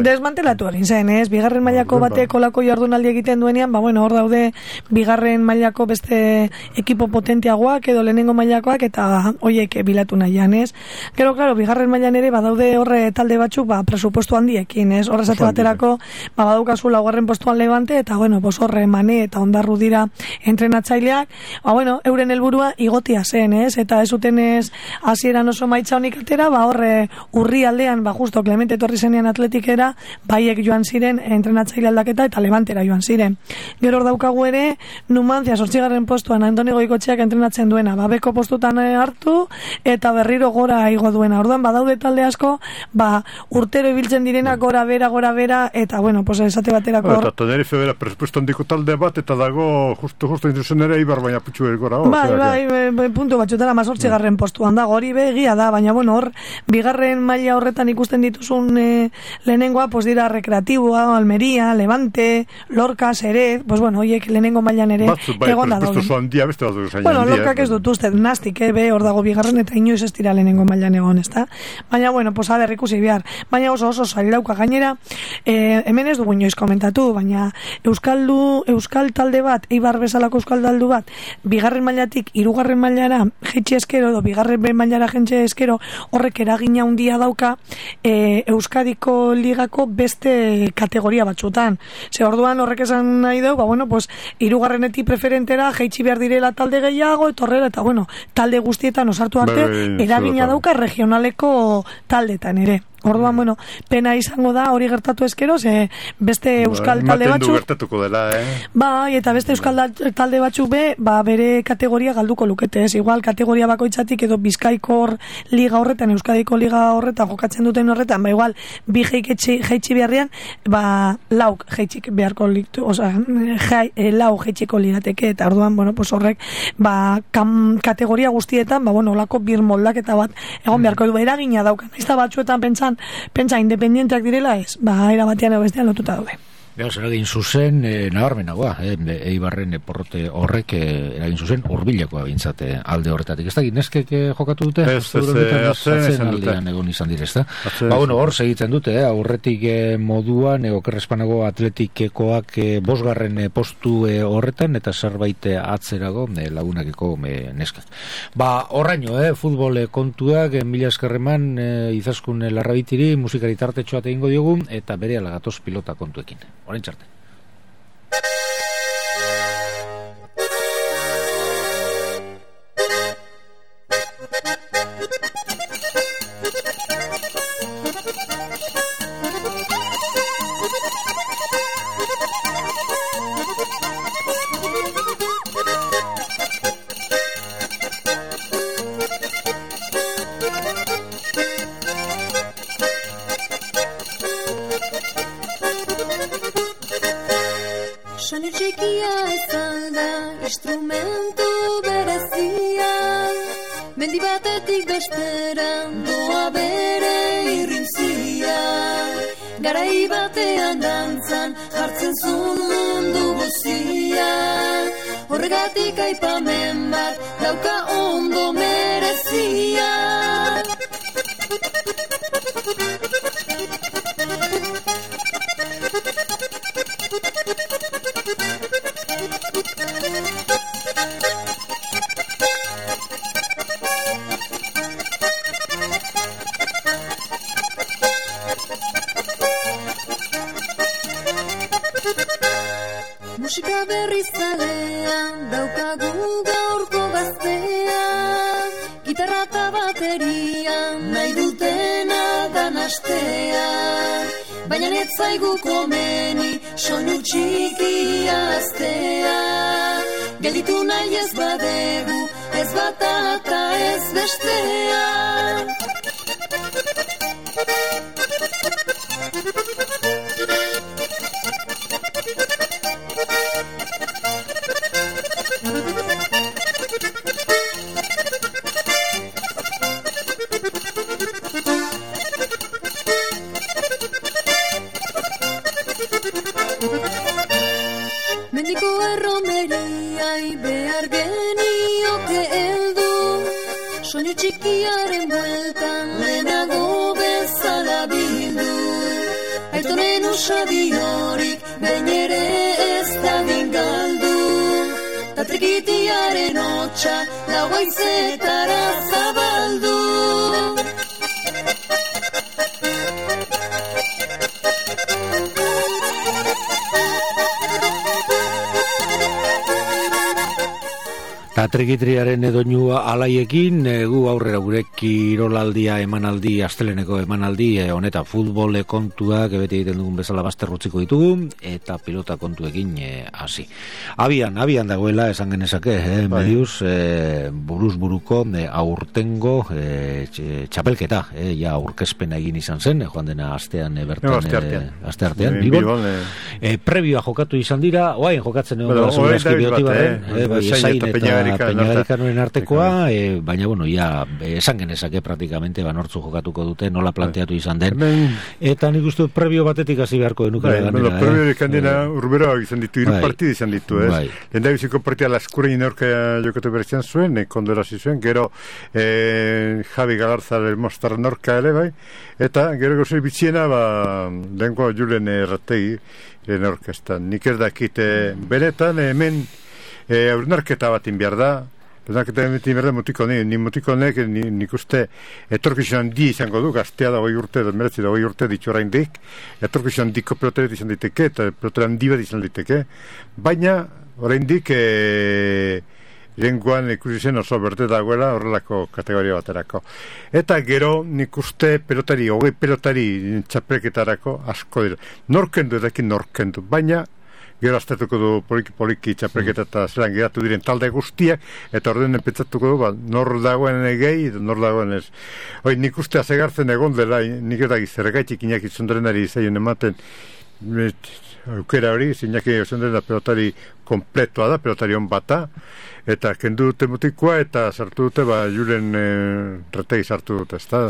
desmantelatu egin zen, ez? Bigarren mailako batek olako jardunaldi egiten duenean, hor daude bigarren mailako beste ekipo potenteagoak edo lehenengo mailakoak eta hoiek bilatu nahian, ez? Gero, klaro, bigarren mailan ere badaude horre talde batzuk presupuesto handiekin, ez? Horre zate baterako badaukazu laugarren postuan Levante eta, horre Mane eta Ondarru dira entrenatzaileak, euren helburua igotia zen, ez? Eta ez zuten ez hasieran oso maitza honik atera, horre urri aldean, justo Clemente etorri zenean Atletikera, baiek joan ziren entrenatzaile aldaketa eta Levantera joan ziren. Gero hor daukagu ere, Numancia 8. postuan Andoni Goikotxeak entrenatzen duena, beko postutan hartu eta berriro gora igo duena. Orduan badaude talde asko, urtero ibiltzen direna gora bera eta esate baterako hor. Eta Tenerife bera presupuesto handiko talde bat eta dago justo intrusen ere Eibar baina putxu gora hor. Puntu batxutara 8. postuan dago, hori begia da, baina hor bigarren maila horretan ikusten dituzun lehenengoa, dira Recreatiboa, Almería, Levante, Lorca, Serez, hoiek lehenengo mailan ere egon da dauden. Lorcak ez dut uste, nastik, hor dago bigarren eta inoiz ez dira lehenengo mailan egon, ez da? Baina, ikusi behar. Baina oso zailauka gainera, hemen ez dugu inoiz komentatu, baina euskal talde bat, Eibar bezalako euskal taldu bat, bigarren mailatik, hirugarren mailara jetxe eskero, edo bigarren mailara jetxe eskero, horrek eragina handia dauka Euskadiko ligako beste kategoria batzutan. Orduan horrek esan nahi dau, hirugarrenetik preferentera jaitsi behar direla talde gehiago, etorrela, eta talde guztietan osartu arte, eragina dauka regionaleko taldetan ere. Orduan, bueno, pena izango da hori gertatu ezkero, ze beste euskal talde batzuk... gertatuko dela, Bai, eta beste euskal talde batzuk bere kategoria galduko lukete, ez? Igual, kategoria bakoitzatik edo Bizkaikor liga horretan, Euskadiko liga horretan jokatzen duten horretan, igual, bi jeitsi beharrean, lauk jeitsik beharko liktu, lau jeitsiko lirateke, eta orduan, bueno, pues horrek, kategoria guztietan, olako bir moldaketa bat egon beharko du, eragina daukan. Ez da batzuetan pentsa independienteak direla ez, era batean edo bestean lotuta daude. Eragin zuzen, nabarmenagoa, Eibarren porrote horrek eragin zuzen, hurbilekoa bintzate alde horretatik. Ez da, neskek jokatu dute? Atzen aldean egon izan dire, ez da? Hor segitzen dute, aurretik moduan, okerrespanago atletikekoak bosgarren postu horretan, eta zerbait atzerago lagunakeko neskak. Horraino, futbol kontuak, mila eskerreman, izaskun larrabitiri, musikari tartetxoat egingo diogu, eta bere alagatoz pilota kontuekin. Orain txarte. Soinu txikia ezan da instrumentu berezia, mendi batetik bestera doa bere irrintzia, garai batean dantzan jartzen zuen mundu guzia, horregatik aipamen bat dauka ondo merezia. Musika berrizalean daukagu gaurko gaztea, gitarra eta baterian nahi dutena danastea, baina ez zaigu komeni soinu txikia aztea, gelditu nahi ez badegu, ez bata eta ez bestea. Mendiko erromeriai behar genioke heldu, soinu txikiaren bueltan lehenago bezala bildu, aitonen usabi horik behin ere ez da bingaldu, ta trikitiaren hotxa lau haizetara zabaldu. Trikitriaren doinua alaiekin, gu aurrera gure kirolaldia emanaldi, asteleneko emanaldi, honetan futbol kontuak beti egiten dugun bezala bazterrutziko ditugu, eta pilota kontuekin hasi. Abian dagoela, esan genezake, mediuz, buruz buruko aurtengo txapelketa, ja aurkezpena egin izan zen, joan dena astean bertan, asteartean, Bilbon. Prebioa jokatu izan dira, oain jokatzen egon gara zugazki biotibaren, esain eta Peñagarikanoen artekoa, baina, ja, esan genezake praktikamente nortzu jokatuko dute, nola planteatu izan den. Eta nik uste prebio batetik hasi beharko denukera ganera. Prebio ikandena urbera izan ditu, hiru partida izan ditu, ez? Lenda biziko partida laskurein aurka jokatu berezian zuen, kondorasi zuen, gero Javi Galarza del Mostar norka ere, bai? Eta gero gozei bitziena, lehenko Julen Errategi, orkestan. Nik ez dakit benetan, hemen aurnarketa bat inbiar da, nik uste etorkizunan di izango du, gaztea da 20 urte, meretzi da 20 urte ditu oraindik, etorkizunan diko peloteret izan diteke, eta peloteran di bat izan diteke, baina oraindik Lenguan ikusi zen oso berde dagoela horrelako kategoria baterako. Eta gero nik uste pelotari, 20 pelotari txapelketarako asko dira. Norkendu edakin norkendu, baina gero aztertuko du poliki txapelketa eta zelan geratu diren talde guztiak, eta ordenen pentsatuko du, nor dagoen gehi, nor dagoen ez. Nik uste azegartzen egon dela, nik edaki zergaitik Iñaki Zondarenari zaion ematen, aukera hori, Iñaki Zondarena pelotari kompletoa da, pelotari on bata, eta kendu dute mutikoa, eta sartu dute, Julen Retegi sartu dute, ez da,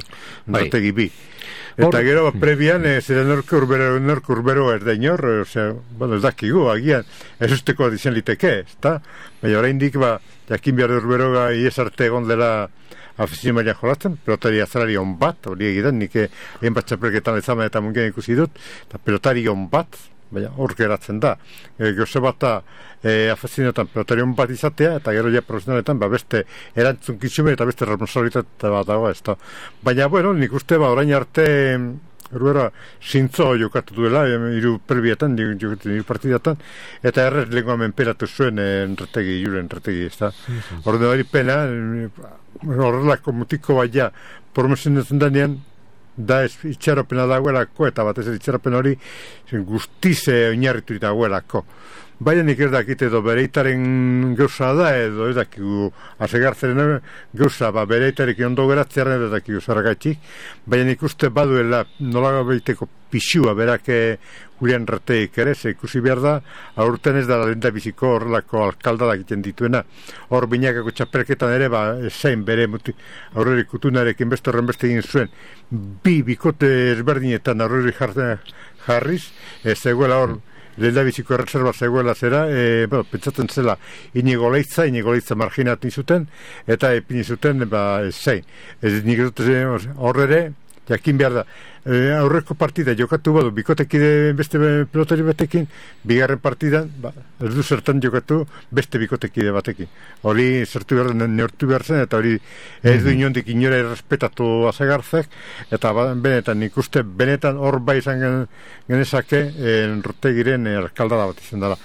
Retegi bi. Eta gero, prebian, zera norke urbero erda inor, osea, ez dakigu, agian, ez usteko dizen liteke, ez da? Baina oraindik, jakin behar urberoga ies arte egon dela afizien maila jolatzen, pelotari azalari on bat, hori egidan, nik egin bat txapelketan ezamen eta mungen ikusi dut, eta pelotari on bat, baina hor geratzen da. Gose bat da, afizienetan pelotari on bat izatea, eta gero ja profesionaletan, beste erantzun kitzume eta beste responsabilitate bat dago, ez da. Baina, bueno, nik uste, orain arte, Urbera, zintzo jokatu duela, hiru perbietan, hiru partidatan, eta errez lengua menperatu zuen Julen Retegi, ez da. Horren hori pena, horrelako mutiko baina, promosionetzen denean, da itxaropena dagoelako, eta batez itxaropen hori guztiz oinarritu dagoelako. Baina nik ez dakit edo bereitaren gauza da, edo ez dakigu asegartzaren gauza, bereitarik ondo geratzearen ez dakigu zaragatik, baina nik uste baduela nola behiteko pixua berak Julian Reteik ere, ikusi behar da, aurten ez da lenda biziko horrelako alkaldada egiten dituena. Hor binakako txapelketan ere, zein bere aurrerik kutunarekin beste horren beste egin zuen, bi bikote ezberdinetan aurrerik jarriz, zegoela hor, lenda biziko erreserba zegoela zera, pentsatzen zela Inigo Leitza marginatu zuten, eta epini zuten, zein. Nik dute horre, jakin behar da, aurreko partida jokatu badu, bikotekide beste pelotari batekin, bigarren partidan, ez du zertan jokatu beste bikotekide batekin. Hori zertu behar den neortu behar zen, eta hori ez du inondik inora errespetatu azegarzek, eta benetan ikuste, benetan hor bai izan genezake Retegiren alkaldada bat izan dela.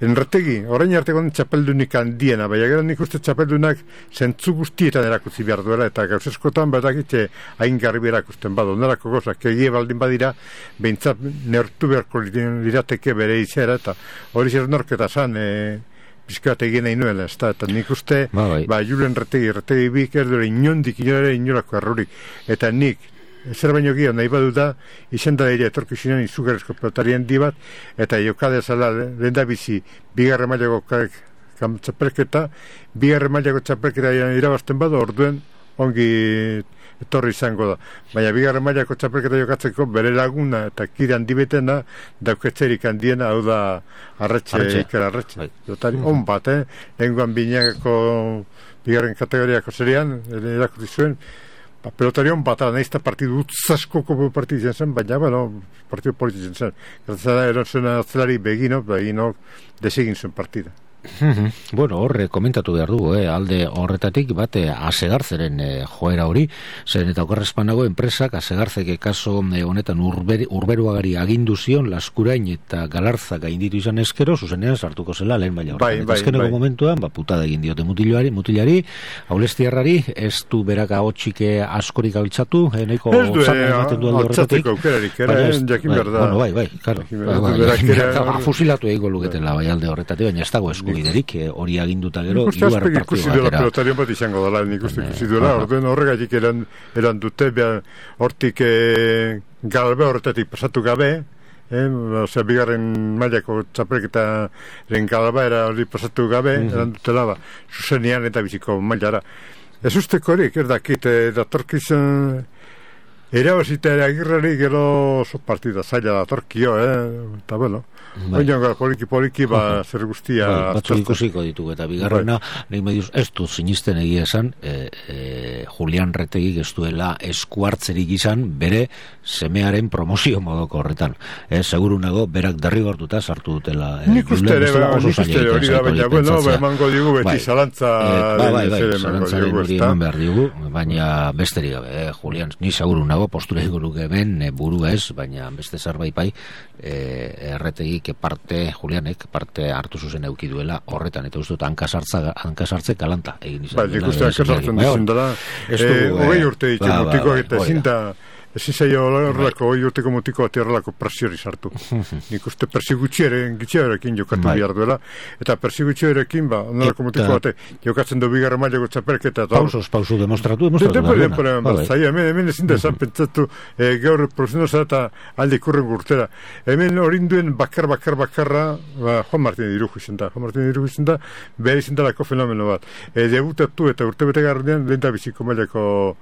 Retegi, orain arteko txapeldunik handiena, baina gero nik uste txapeldunak zentzu guztietan erakutzi behar duela, eta gauzeskotan badakitxe hain garbi erakusten badu, nerako gozak, egie baldin badira, behintzat neortu beharko lirateke bere izera, eta hori zer norketa zan, pizkat egin nahi nuela, eta nik uste, Julen Retegi bik ez dure inolako errurik, eta nik, zer baino gio nahi badu da, izan da ere etorkizunean izugarrizko pelotarien di bat, eta jokade zala lenda bizi bigarre mailako txapelketa, bigarre mailako txapelketa irabazten badu, orduen ongi etorri izango da. Baina bigarre mailako txapelketa jokatzeko bere laguna eta kide handi betena dauketzerik handiena, hau da Iker Arretxe. Jotari on bat, lenguan binakako bigarren kategoriako zerean, erakuti zuen, pelotarion bat, nahizta partidu utzaskoko partidu zen, baina, partidu politizen zen. Gertzada, eron zuen atzelari begino desegin zuen partida. Bueno, horre komentatu behar dugu, alde horretatik bate asegarzeren joera hori, zen eta okerrezpanago enpresak asegarzeke kaso honetan urberuagari agindu zion Laskurain eta Galarza gainditu izan eskero, zuzenean sartuko zela lehen baina horretan. Ezkeneko momentuan, putada egin diote mutilari, Aulestiarrari, ez du beraka hotxike askorik altzatu, nahiko zan ematen du alde horretatik. Jakin berda. Bai, karo. Fusilatu egiko luketela bai alde horretatik, baina ez dago eskubiderik, hori aginduta gero hiruar partidu ikusi duela pelotarion bat izango dela, nik uste ikusi duela, orduen horregatik eran dute, hortik galbe horretatik pasatu gabe, bigarren mailako txapelketaren galba era hori pasatu gabe, eran dutela zuzenean eta biziko mailara. Ez usteko horiek, ez dakit, datorkizan erabazita ere Agirrari gero oso partida zaila datorkio, eta oinan poliki zer guztia batzuk ikusiko ditugu, eta bigarrena nahi mediuz ez du sinisten egia esan Julian Retegik ez duela eskuartzerik izan bere semearen promozio modoko horretan, seguru nago berak derrigortuta sartu dutela nik uste hori da, baina emango digu beti zalantza zalantzaren hori eman behar digu, baina besterik gabe Julian, ni seguru nago dago postura iguruk hemen buru ez, baina beste zerbait bai erretegik parte Julianek parte hartu zuzen eduki duela horretan, eta uste dut hankasartze galanta egin izan. Nik uste hankasartzen dizun dela, hogei urte ditu mutikoak eta ezin da ezin zaio horrelako, hogei urteko mutiko bat horrelako presiori sartu. Nik uste persigutxearekin jokatu behar duela, eta persigutxearekin horrelako mutiko bat jokatzen du bigarren mailako txapelketa. Pausu demostratu. Hemen ezin da esan pentsatu gaur profesionala eta alde ikurren gurtera. Hemen horinduen bakarra Juan Martín Irujo izan da. Juan Martín Irujo izan da, behar izan dalako fenomeno bat. Debutatu eta urtebete gardean lehen da biziko mailako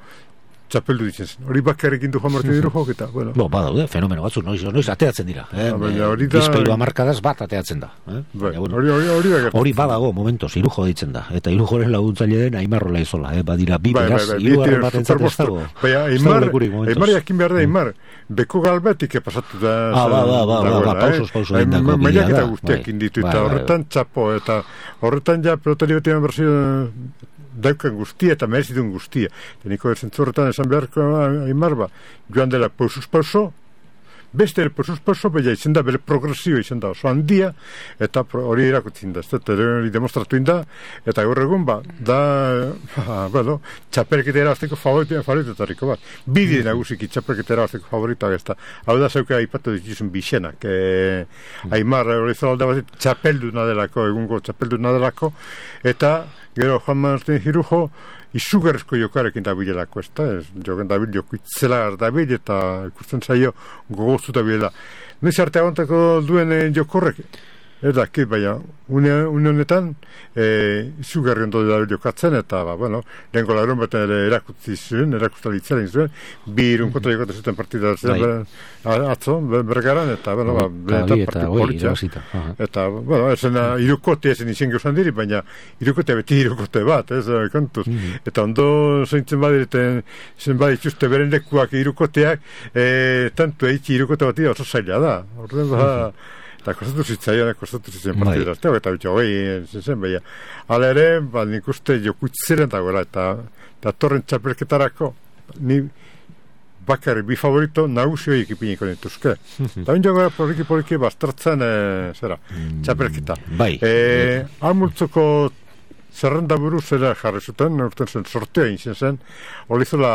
txapeldu ditzen zen. Hori bakarrekin du Juan Martín Irujo eta, bueno. Badaude, fenomeno batzu, noiz ateatzen dira. Bizpeiru amarkadaz bat ateatzen da. Hori badago, momentos, Irujo ditzen da. Eta Irujoren laguntzaile den Aimar Olaizola. Badira, bi beraz, irugarren bat entzat ez dago. Aimar jakin behar da, Aimar. Beko galbetik pasatu da. Pausos egindako. Mailak eta guztiak inditu. Eta horretan txapo, eta horretan ja pelotari bat eman berzio daukan guztia eta merezitun guztia. Niko erzentzu horretan esan beharko Aimar joan dela pausuz-pauso, beste pausuz-pauso, baina izan da bere progresio izan da oso handia, eta hori erakutzen da, eta hori demostratu inda, eta gaur egun txapelketa erabazteko favoritotariko bat. Bide nagusiki txapelketa erabazteko favoritoak ez da. Hau da zeuka aipatu dituzun bixenak. Aimar hori zola alde bat txapelduna delako, egungo txapelduna delako, eta gero Juan Martín Irujo izugarrizko jokarekin dabilelako, ez da? Joken dabil, jokuitzelar dabil, eta ikusten zaio gogoztu dabilela. Noiz arte agontako duen jokorrek? Ez dakit, baina, une honetan, izugarri ondo dabil jokatzen, eta, lehenko lagun bat erakutsi zuen, erakustalitzaren zuen, bi irun kontra jokatzen zuten partida atzo, bergaran, eta, partidu politxa. Eta, irukote ezen izan gauzan diri, baina irukote beti irukote bat, ez, kontuz. Eta ondo zeintzen badireten, zen badituzte beren lekuak irukoteak, tantu eitzi irukote bat oso zaila da. Horren, eta kostatu zitzen partidera, eta bitxo, zen, baina. Hala ere, nik uste jokuitzeren dagoela, eta torren txapelketarako, ni bakarri bi favorito nagusioi ekipiniko nituzke. Eta bintzio gara poliki bastartzen, txapelketa. Almultzoko zerrenda buruz zera jarri zuten, urten zen sortea inzen zen, Olizola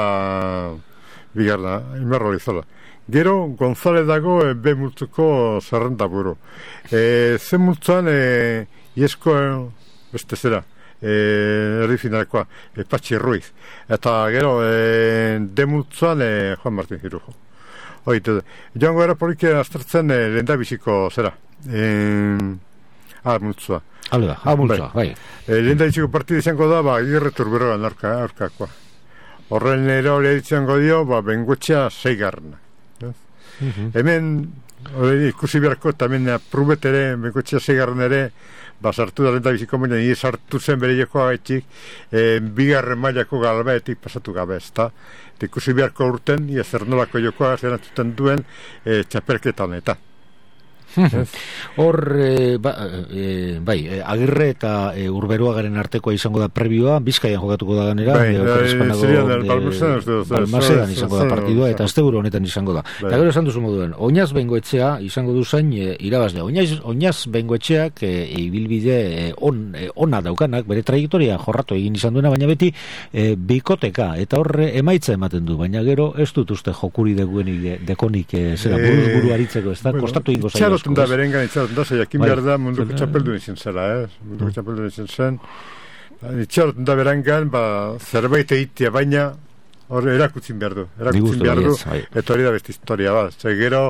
bigarna, Imarro Olizola. Gero, González dago B multzuko zerrenda buru. Zen multzuan, iesko, beste zera, erdi finalekoa, Patxi Ruiz. Eta gero, D multzuan, Juan Martín Irujo. Joango era poliki aztertzen lehendabiziko zera. Multzua. Multzua, bai. Lehendabiziko partida izango da, Agirre Turberoan aurkakoa. Horren ere hori izango dio, Bengoetxea 6. Hemen ikusi beharko eta hemen prubet ere Bengoetxea 6 ere sartu da lenta biziko baina nire sartu zen bere jokoa gaitxik bigarren mailako galbaetik pasatu gabe ezta ikusi beharko urten zer nolako jokoa zerantzuten duen txapelketa honetan. Hor, bai, Agirre eta Urberuagaren artekoa izango da prebioa, Bizkaian jokatuko da ganera, Balmasedan izango da partidua, eta asteburu honetan izango da. Eta gero esan duzu moduen, Oinaz Bengoetxea izango duzain irabazlea. Oinaz Bengoetxeak ibilbide ona daukanak, bere trajektoria jorratu egin izan duena, baina beti bikoteka, eta horre emaitza ematen du, baina gero ez dut uste jokuri dekonik zera buru aritzeko, ez da, kostatu ingo zaila. Da berengan itxaroten da, jakin behar da munduko txapeldu izan zela, munduko txapeldu izan zen. Itxaroten da berengan, zerbait egitea, baina hor erakutzin behar du, eta hori da beste historia bat. Gero,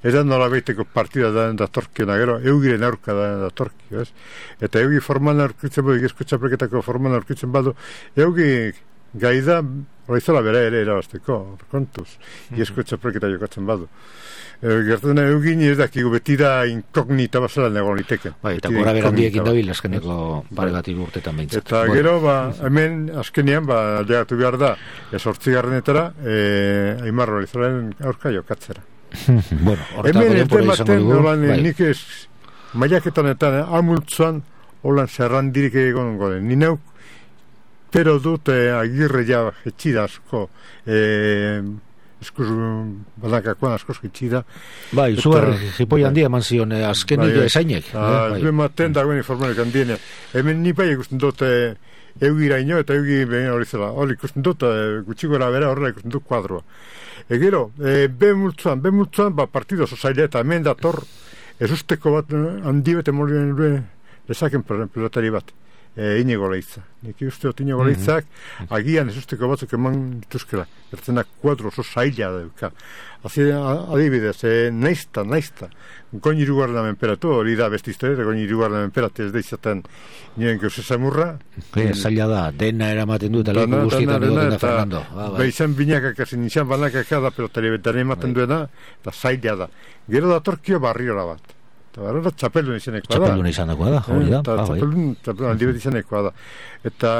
ez da nola behiteko partida da datorkiona, gero, eugiren aurka da datorkio, ez? Eta eugi forman aurkitzen badu, egizko txapelketako forman aurkitzen badu, eugi gai da, horizola bera ere erabazteko, kontuz, egizko txapelketa jokatzen badu. Gertzen eugin ez dakigu beti da inkognita bazela nego liteken. Eta gora berandiekin dabil azkeneko pare bat urtetan behintzat. Eta gero, hemen azkenean, aldegatu behar da, 8. Aimar Olizolaren aurka jokatzera. Hemen etematen, nik ez, mailaketan amultzuan, holan zerrandirik egon goden. Ni neuk, pero dut Agirre ja etxida asko, eskuz banakakoan askoz gitxida. Bai, zugar jipoi handia eman zion azkenik esainek. Duen maten dagoen informonek handiene. Hemen ni bai ikusten dut eugiraino eta eugi hori zela. Hori ikusten dut gutxi gora bera horrela ikusten dut kuadroa. Gero, be multzuan, partido oso zaila eta hemen dator ezusteko bat handi bete molien lezaken pelotari bat. Inigo Leitza. Nik uste dut Inigo Leitzak agian ezusteko batzuk eman dituzkela. Ertzenak kuadro oso zaila dauka. Adibidez, naizta. Goin irugarren menperatu, hori da beste historia, goin irugarren menperatu ez da izaten nien geuse zamurra. Zaila da, dena eramaten du eta leku guztietan egoten da Fernando. Izan binakak ezin izan banakak da pelotari betaren ematen duena, eta zaila da. Gero datorkio barriola bat. Eta barra txapeldun izanekoa da. Txapeldun izanekoa da, hori da. Txapeldun handibet izanekoa da. Eta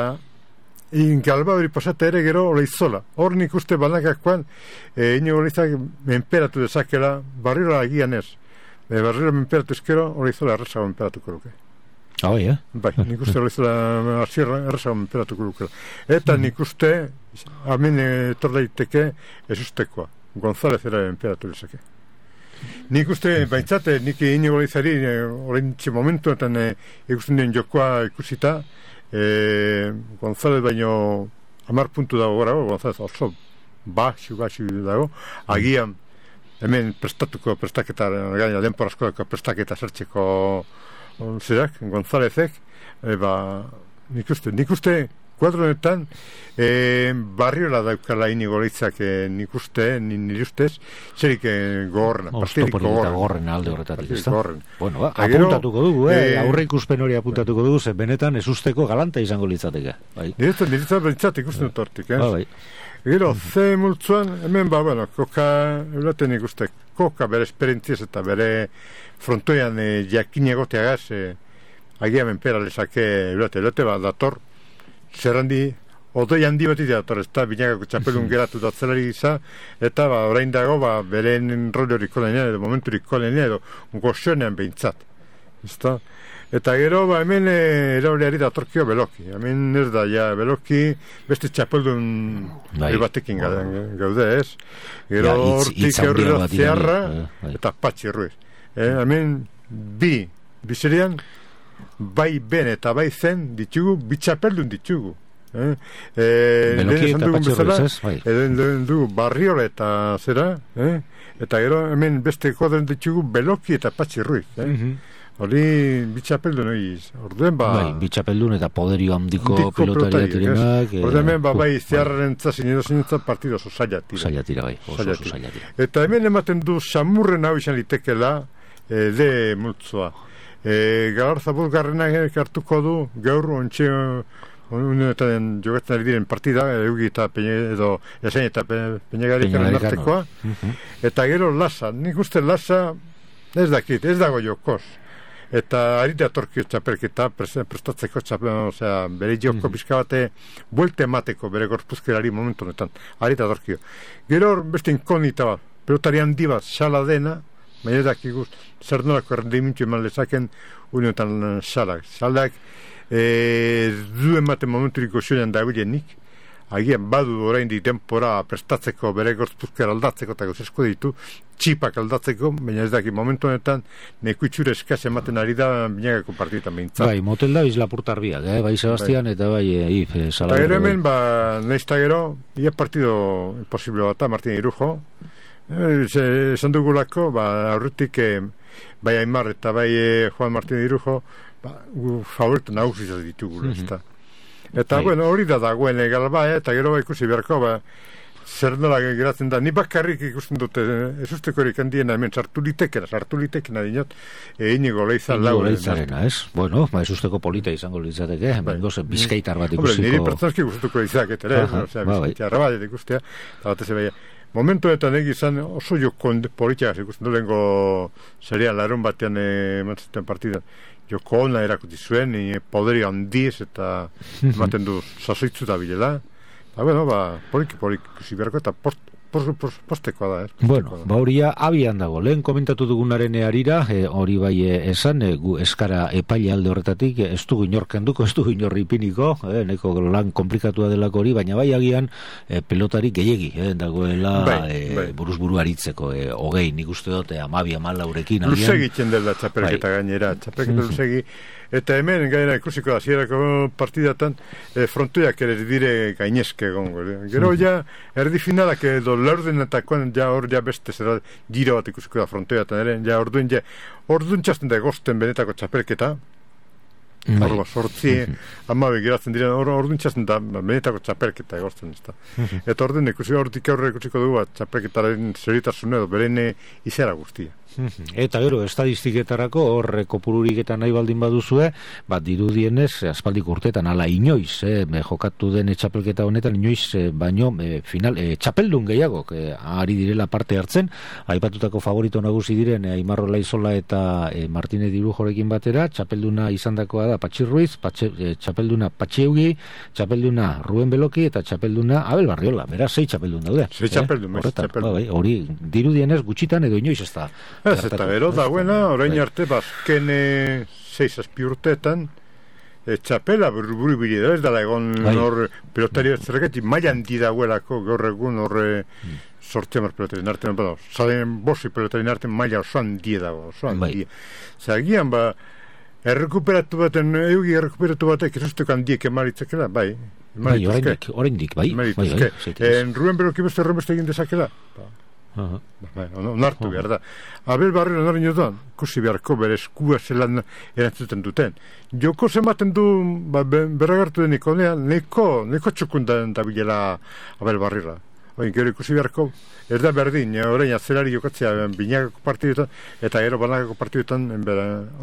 galba hori pasata ere gero Oleizola. Hor nik uste banakakoan Inigo Leitzak menperatu dezakela barriola agian ez. Barriola menperatu ezkero Oleizola errezago menperatuko luke. Bai, nik uste Oleizola errezago menperatuko luke. Eta nik uste hamen etor daiteke ez ustekoa. González era menperatu dezake. Nik uste, baintzate, nik Inigo Leitzari orentxe momentuetan ikusten duen jokoa ikusita González baino 10 puntu dago gara, González oso baxu dago, agian hemen prestaketa gaina denporazko prestaketa sartzeko zerak, Gonzálezek nik uste kuadronetan barriola daukala Inigo Leitzak nik uste, nire ustez zerik gogorrena, partidik gogorrena alde horretatik, ez da? Bueno, apuntatuko dugu, aurre ikuspen hori apuntatuko dugu, ze benetan ez usteko galanta izango litzateke. Niretzat bentsat ikusten dut hortik, Gero, ze multzuan, hemen koka, eulaten ikuste, koka bere esperientziaz eta bere frontoian jakin egoteagaz, agia menpera lezake eulate dator, zerrandi, odoi handi beti dator, ez da, binakako txapelun geratu datzelari giza, eta orain dago, beren roli hori kolenean, edo momentu hori kolenean, edo goxonean behintzat. Eta gero, hemen erauleari datorkio Beloki. Hemen ez da, Beloki beste txapeldun batekin gaude, ez? Gero hortik eurri da Zeharra eta Patxi Ruiz. Hemen bizerian, bai ben eta bai zen ditugu, bitxapeldun ditugu. Beloki eta Patxi Ruiz, ez? Edo dugu Barriola eta zera, eta gero hemen beste koden ditugu Beloki eta Patxi Ruiz, hori bitxapeldun oiz. Bitxapeldun eta poderio handiko pilotariak direnak. Hemen bai Zeharraren zazin edo zinentzat partido oso zaila tira. Zaila tira, bai. Oso zaila tira. Eta hemen ematen du samurren hau izan litekela de multzoa. Galarza-Bulgarrenak hartuko du gaur ontxe unetan jogatzen ari diren partida eugi eta edo esain eta peñegarikaren artekoa. Eta gero Lasa, nik uste Lasa ez dakit, ez dago jokoz. Eta ari datorkio txapelketa prestatzeko bere joko pizka bate buelte emateko bere gorpuzkerari momentu honetan, ari datorkio. Gero beste inkognita bat, pelotari handi bat xala dena, baina dakikuz zer nolako errendimentu eman lezaken unetan xalak. Xalak du ematen momenturik goxonean dabilenik, agian badu oraindik denpora prestatzeko bere gorpuzkera aldatzeko eta gozesko ditu, txipak aldatzeko, baina ez daki momentu honetan neko itxure eskaz ematen ari da binagako partidetan behintzat. Bai, motel da bizlapurtar biak, bai Sebastian eta bai Eta gero hemen, nahizta gero, ia partido imposible bat, Martin Irujo, esan dugulako, aurretik bai Aimar eta bai Juan Martin Irujo, favoritu nagusizat ditugula, ez da. Eta, hori da dagoen galba, eta gero ikusi beharko, zer nola geratzen da. Ni bakarrik ikusten dute, ez usteko erik handiena hemen sartu litekena dinot, Inigo Leiza lau. Inigo Leizarena, ez? Bueno, ez usteko polita izango litzateke, bizkaitar bat ikusiko. Niri pertsanski gustatuko izaket, bizkaitarra bat ikustea, eta batez ebaia. Momentuetan egizan oso joko politiak ikusten dulengo serian larun batean emantzuten partidan. Joko ona erakuti zuen, poderi handiz eta ematen du sasoitzu da bilela. Poliki ikusi beharko eta postekoa da, Bueno, horia abian dago, lehen komentatu dugunaren harira, hori bai esan, gu eskara epaile alde horretatik, ez dugu inorkenduko, ez dugu inorri ipiniko, neko lan komplikatua delako hori, baina bai agian pelotari gehiegi, dagoela buruz-buru aritzeko, hogei, nik uste dut, 12-14 luze egiten dela txapelketa gainera, txapelketa luzegi, eta hemen gainera ikusiko hasierako partidatan frontoiak ere dire gainezke egongo. Gero ja erdi finalak edo laurdenetakoan ja hor ja beste zera giro bat ikusiko da frontoiatan ere, ja orduan txasten da egosten benetako txapelketa. Horba, sortzi, amabe geratzen diren, orduan txasten da benetako txapelketa egosten. Eta orduan hortik aurre ikusiko dugu txapelketaren zeritasun edo berene izera guztia. Eta gero, estadistiketarako horre kopururik eta nahi baldin baduzue, dirudienez, aspaldiko urteetan, ala inoiz, jokatu den txapelketa honetan, inoiz, baino, final, txapeldun gehiago, ari direla parte hartzen, aipatutako favorito nagusi diren, Aimarro Laizola eta Martínez Dirujorekin batera, txapelduna izandakoa da Patxi Ruiz, txapelduna Patxieugi, txapelduna Ruben Beloki, eta txapelduna Abel Barriola, beraz, 6 txapeldun daude. 6 txapeldun. Hori, dirudienez, gutxitan edo inoiz ez da. Eta gero dagoena, orain arte bazken 6-7 urteetan txapela buru bide, ez dala egon hor pelotari zergatik mailan di dagoelako gaur egun hor sortzeamar pelotari nartean, zaden bosi pelotari nartean maila osoan die dago, osoan die. Zagian errekuperatu baten, eugi errekuperatu batek ez handiek emaritzakela, bai. Oraindik, bai. Ruben Beloki beste erromeste egin dezakela, onartu behar da. Abel Barriola noren jodan, kusi beharko bere eskua zelan erantzuten duten. Joko zenbaten du berragartu deniko, neko txukundan da bilela Abel Barriola. Gero ikusi beharko, ez da berdin, orain azelari jokatzea binakako partiduetan, eta gero banakako partiduetan,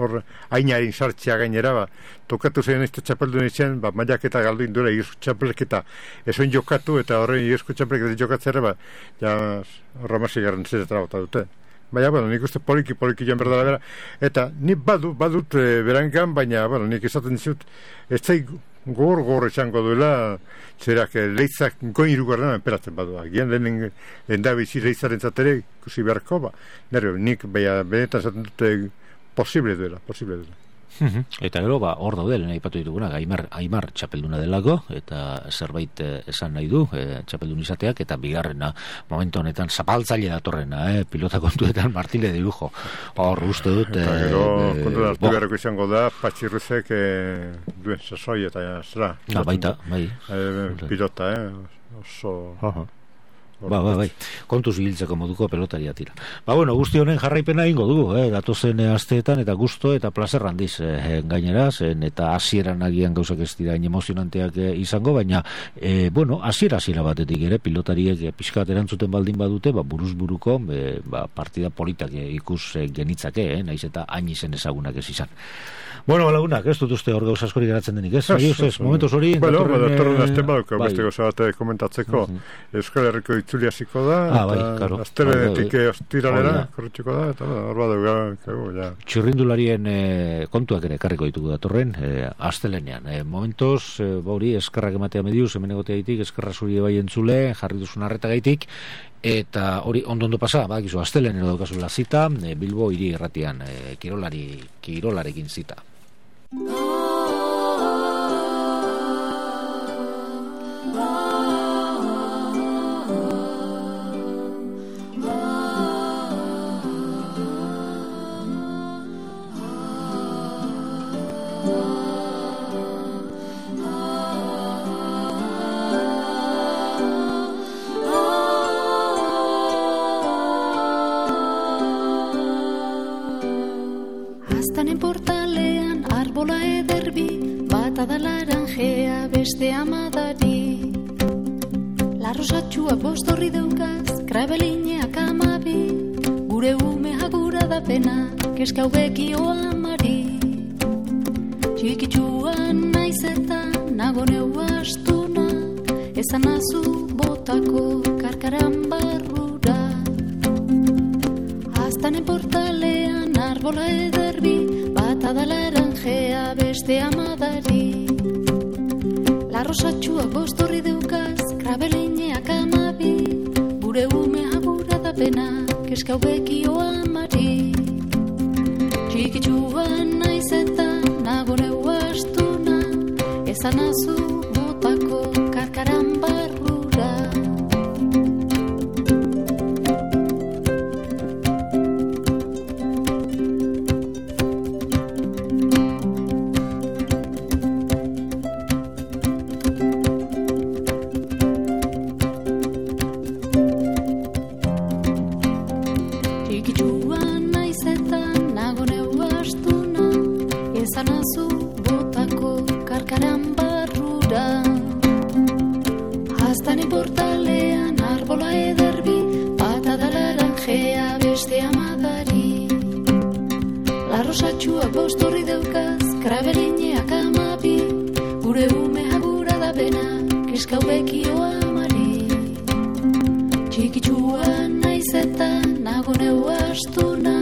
hor ainarin sartzea gainera, tokatu zein ez txapeldun izan, mailak eta galdu indura igizko txapelketa, esoin jokatu, eta horrein igizko txapelketa jokatzera, horra masi garrantzetara bota dute. Baina, nik uste poliki joan berdala bera, eta nik badut berangan, baina, nik izaten dizut, ez zaik gor esango duela, zerak leitzak goin irugarren emperatzen badu. Agian lehen da bizi leitzaren zatere, ikusi beharko, nik benetan zaten dute posible duela. Eta gero, hor daude, lehen aipatu dituguna, Aimar txapelduna delako, eta zerbait esan nahi du, txapeldun izateak, eta bigarrena, momentu honetan, zapaltzaile datorrena, pilota kontuetan Martínez Dirujo. Hor, uste dut... Eta gero, kontu da, hartu beharko izango da, Patxirruzek duen sasoi eta zera. Baita, bai. Pilota, oso... Bai. Kontuz hiltzeko moduko pelotaria tira. Guzti honen jarraipena ingo dugu, datozen asteetan eta gusto eta plazer handiz gainera, eta hasieran agian gauzak ez dira emozionanteak izango, baina hasiera batetik ere pilotariek pixkat erantzuten baldin badute, buruz buruko partida politak ikus genitzake, naiz eta hain izen ezagunak ez izan. Lagunak, ez dut uste hor gauz askori geratzen denik, ez? Momentuz hori... Datorren azten baduk, beste gauza bat komentatzeko, Euskal Herriko itzulia ziko da, eta astelenetik ostiralera korritxiko da, eta hor badugu, Txirrindularien kontuak ere karriko ditugu datorren, astelenean. Momentuz, hori, eskerrak ematea mediuz, hemen egotea gaitik, eskerra zuri bai entzule, jarri duzun arreta gaitik, eta hori ondo pasa, bakizu, astelenero daukazula zita, Bilbo hiri erratian, kirolarekin zita. Portalean arbola ederbi, bata da laranjea beste amadari. Larrosatxua bostorri deukaz, krabelineak amabi, gure umea gura da pena, keska ubekio amari. Txikitxuan naiz eta nago neu astuna, ezan azu botako karkaran barrura. Aztanen portalean arbola ederbi, bata da laranjea beste amadari. Larrosatxua bostorri deukaz, krabelineak amabi, gure ume agura da pena, keska ubekio amari. Txikitsuan naiz eta nagore uastuna, ezan azu botako karkaran barrura. Larrosatxua bostorri daukaz, krabelineak amabi, gure ume agura da bena, keska ubekio amari. Txikitxua naiz eta nago neu astuna,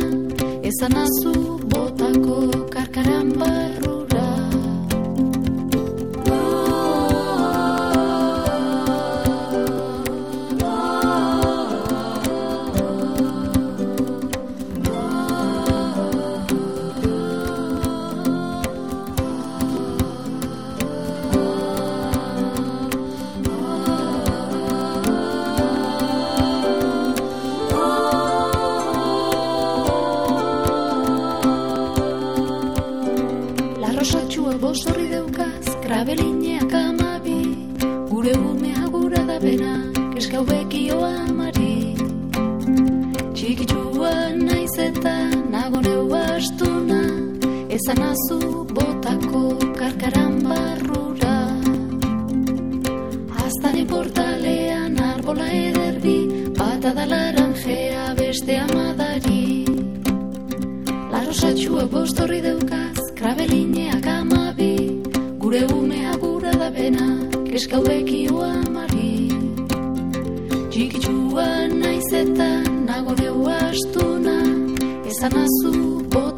ezan azu botako karkaran barrura. Bostorri daukaz, krabelineak amabi, gure ume agura da bena, keska ubekio amari. Txikitxua naiz eta nago neu astuna, ezan azu botako karkaran barrura. Aztane portalean arbola ederbi, bata da laranjea beste amadari. Larrosatxua bostorri daukaz, krabelineak amabi, gure ume agura da bena, keska ubekio amari. Txikitxua naiz eta nago neu astuna, ezan azu bota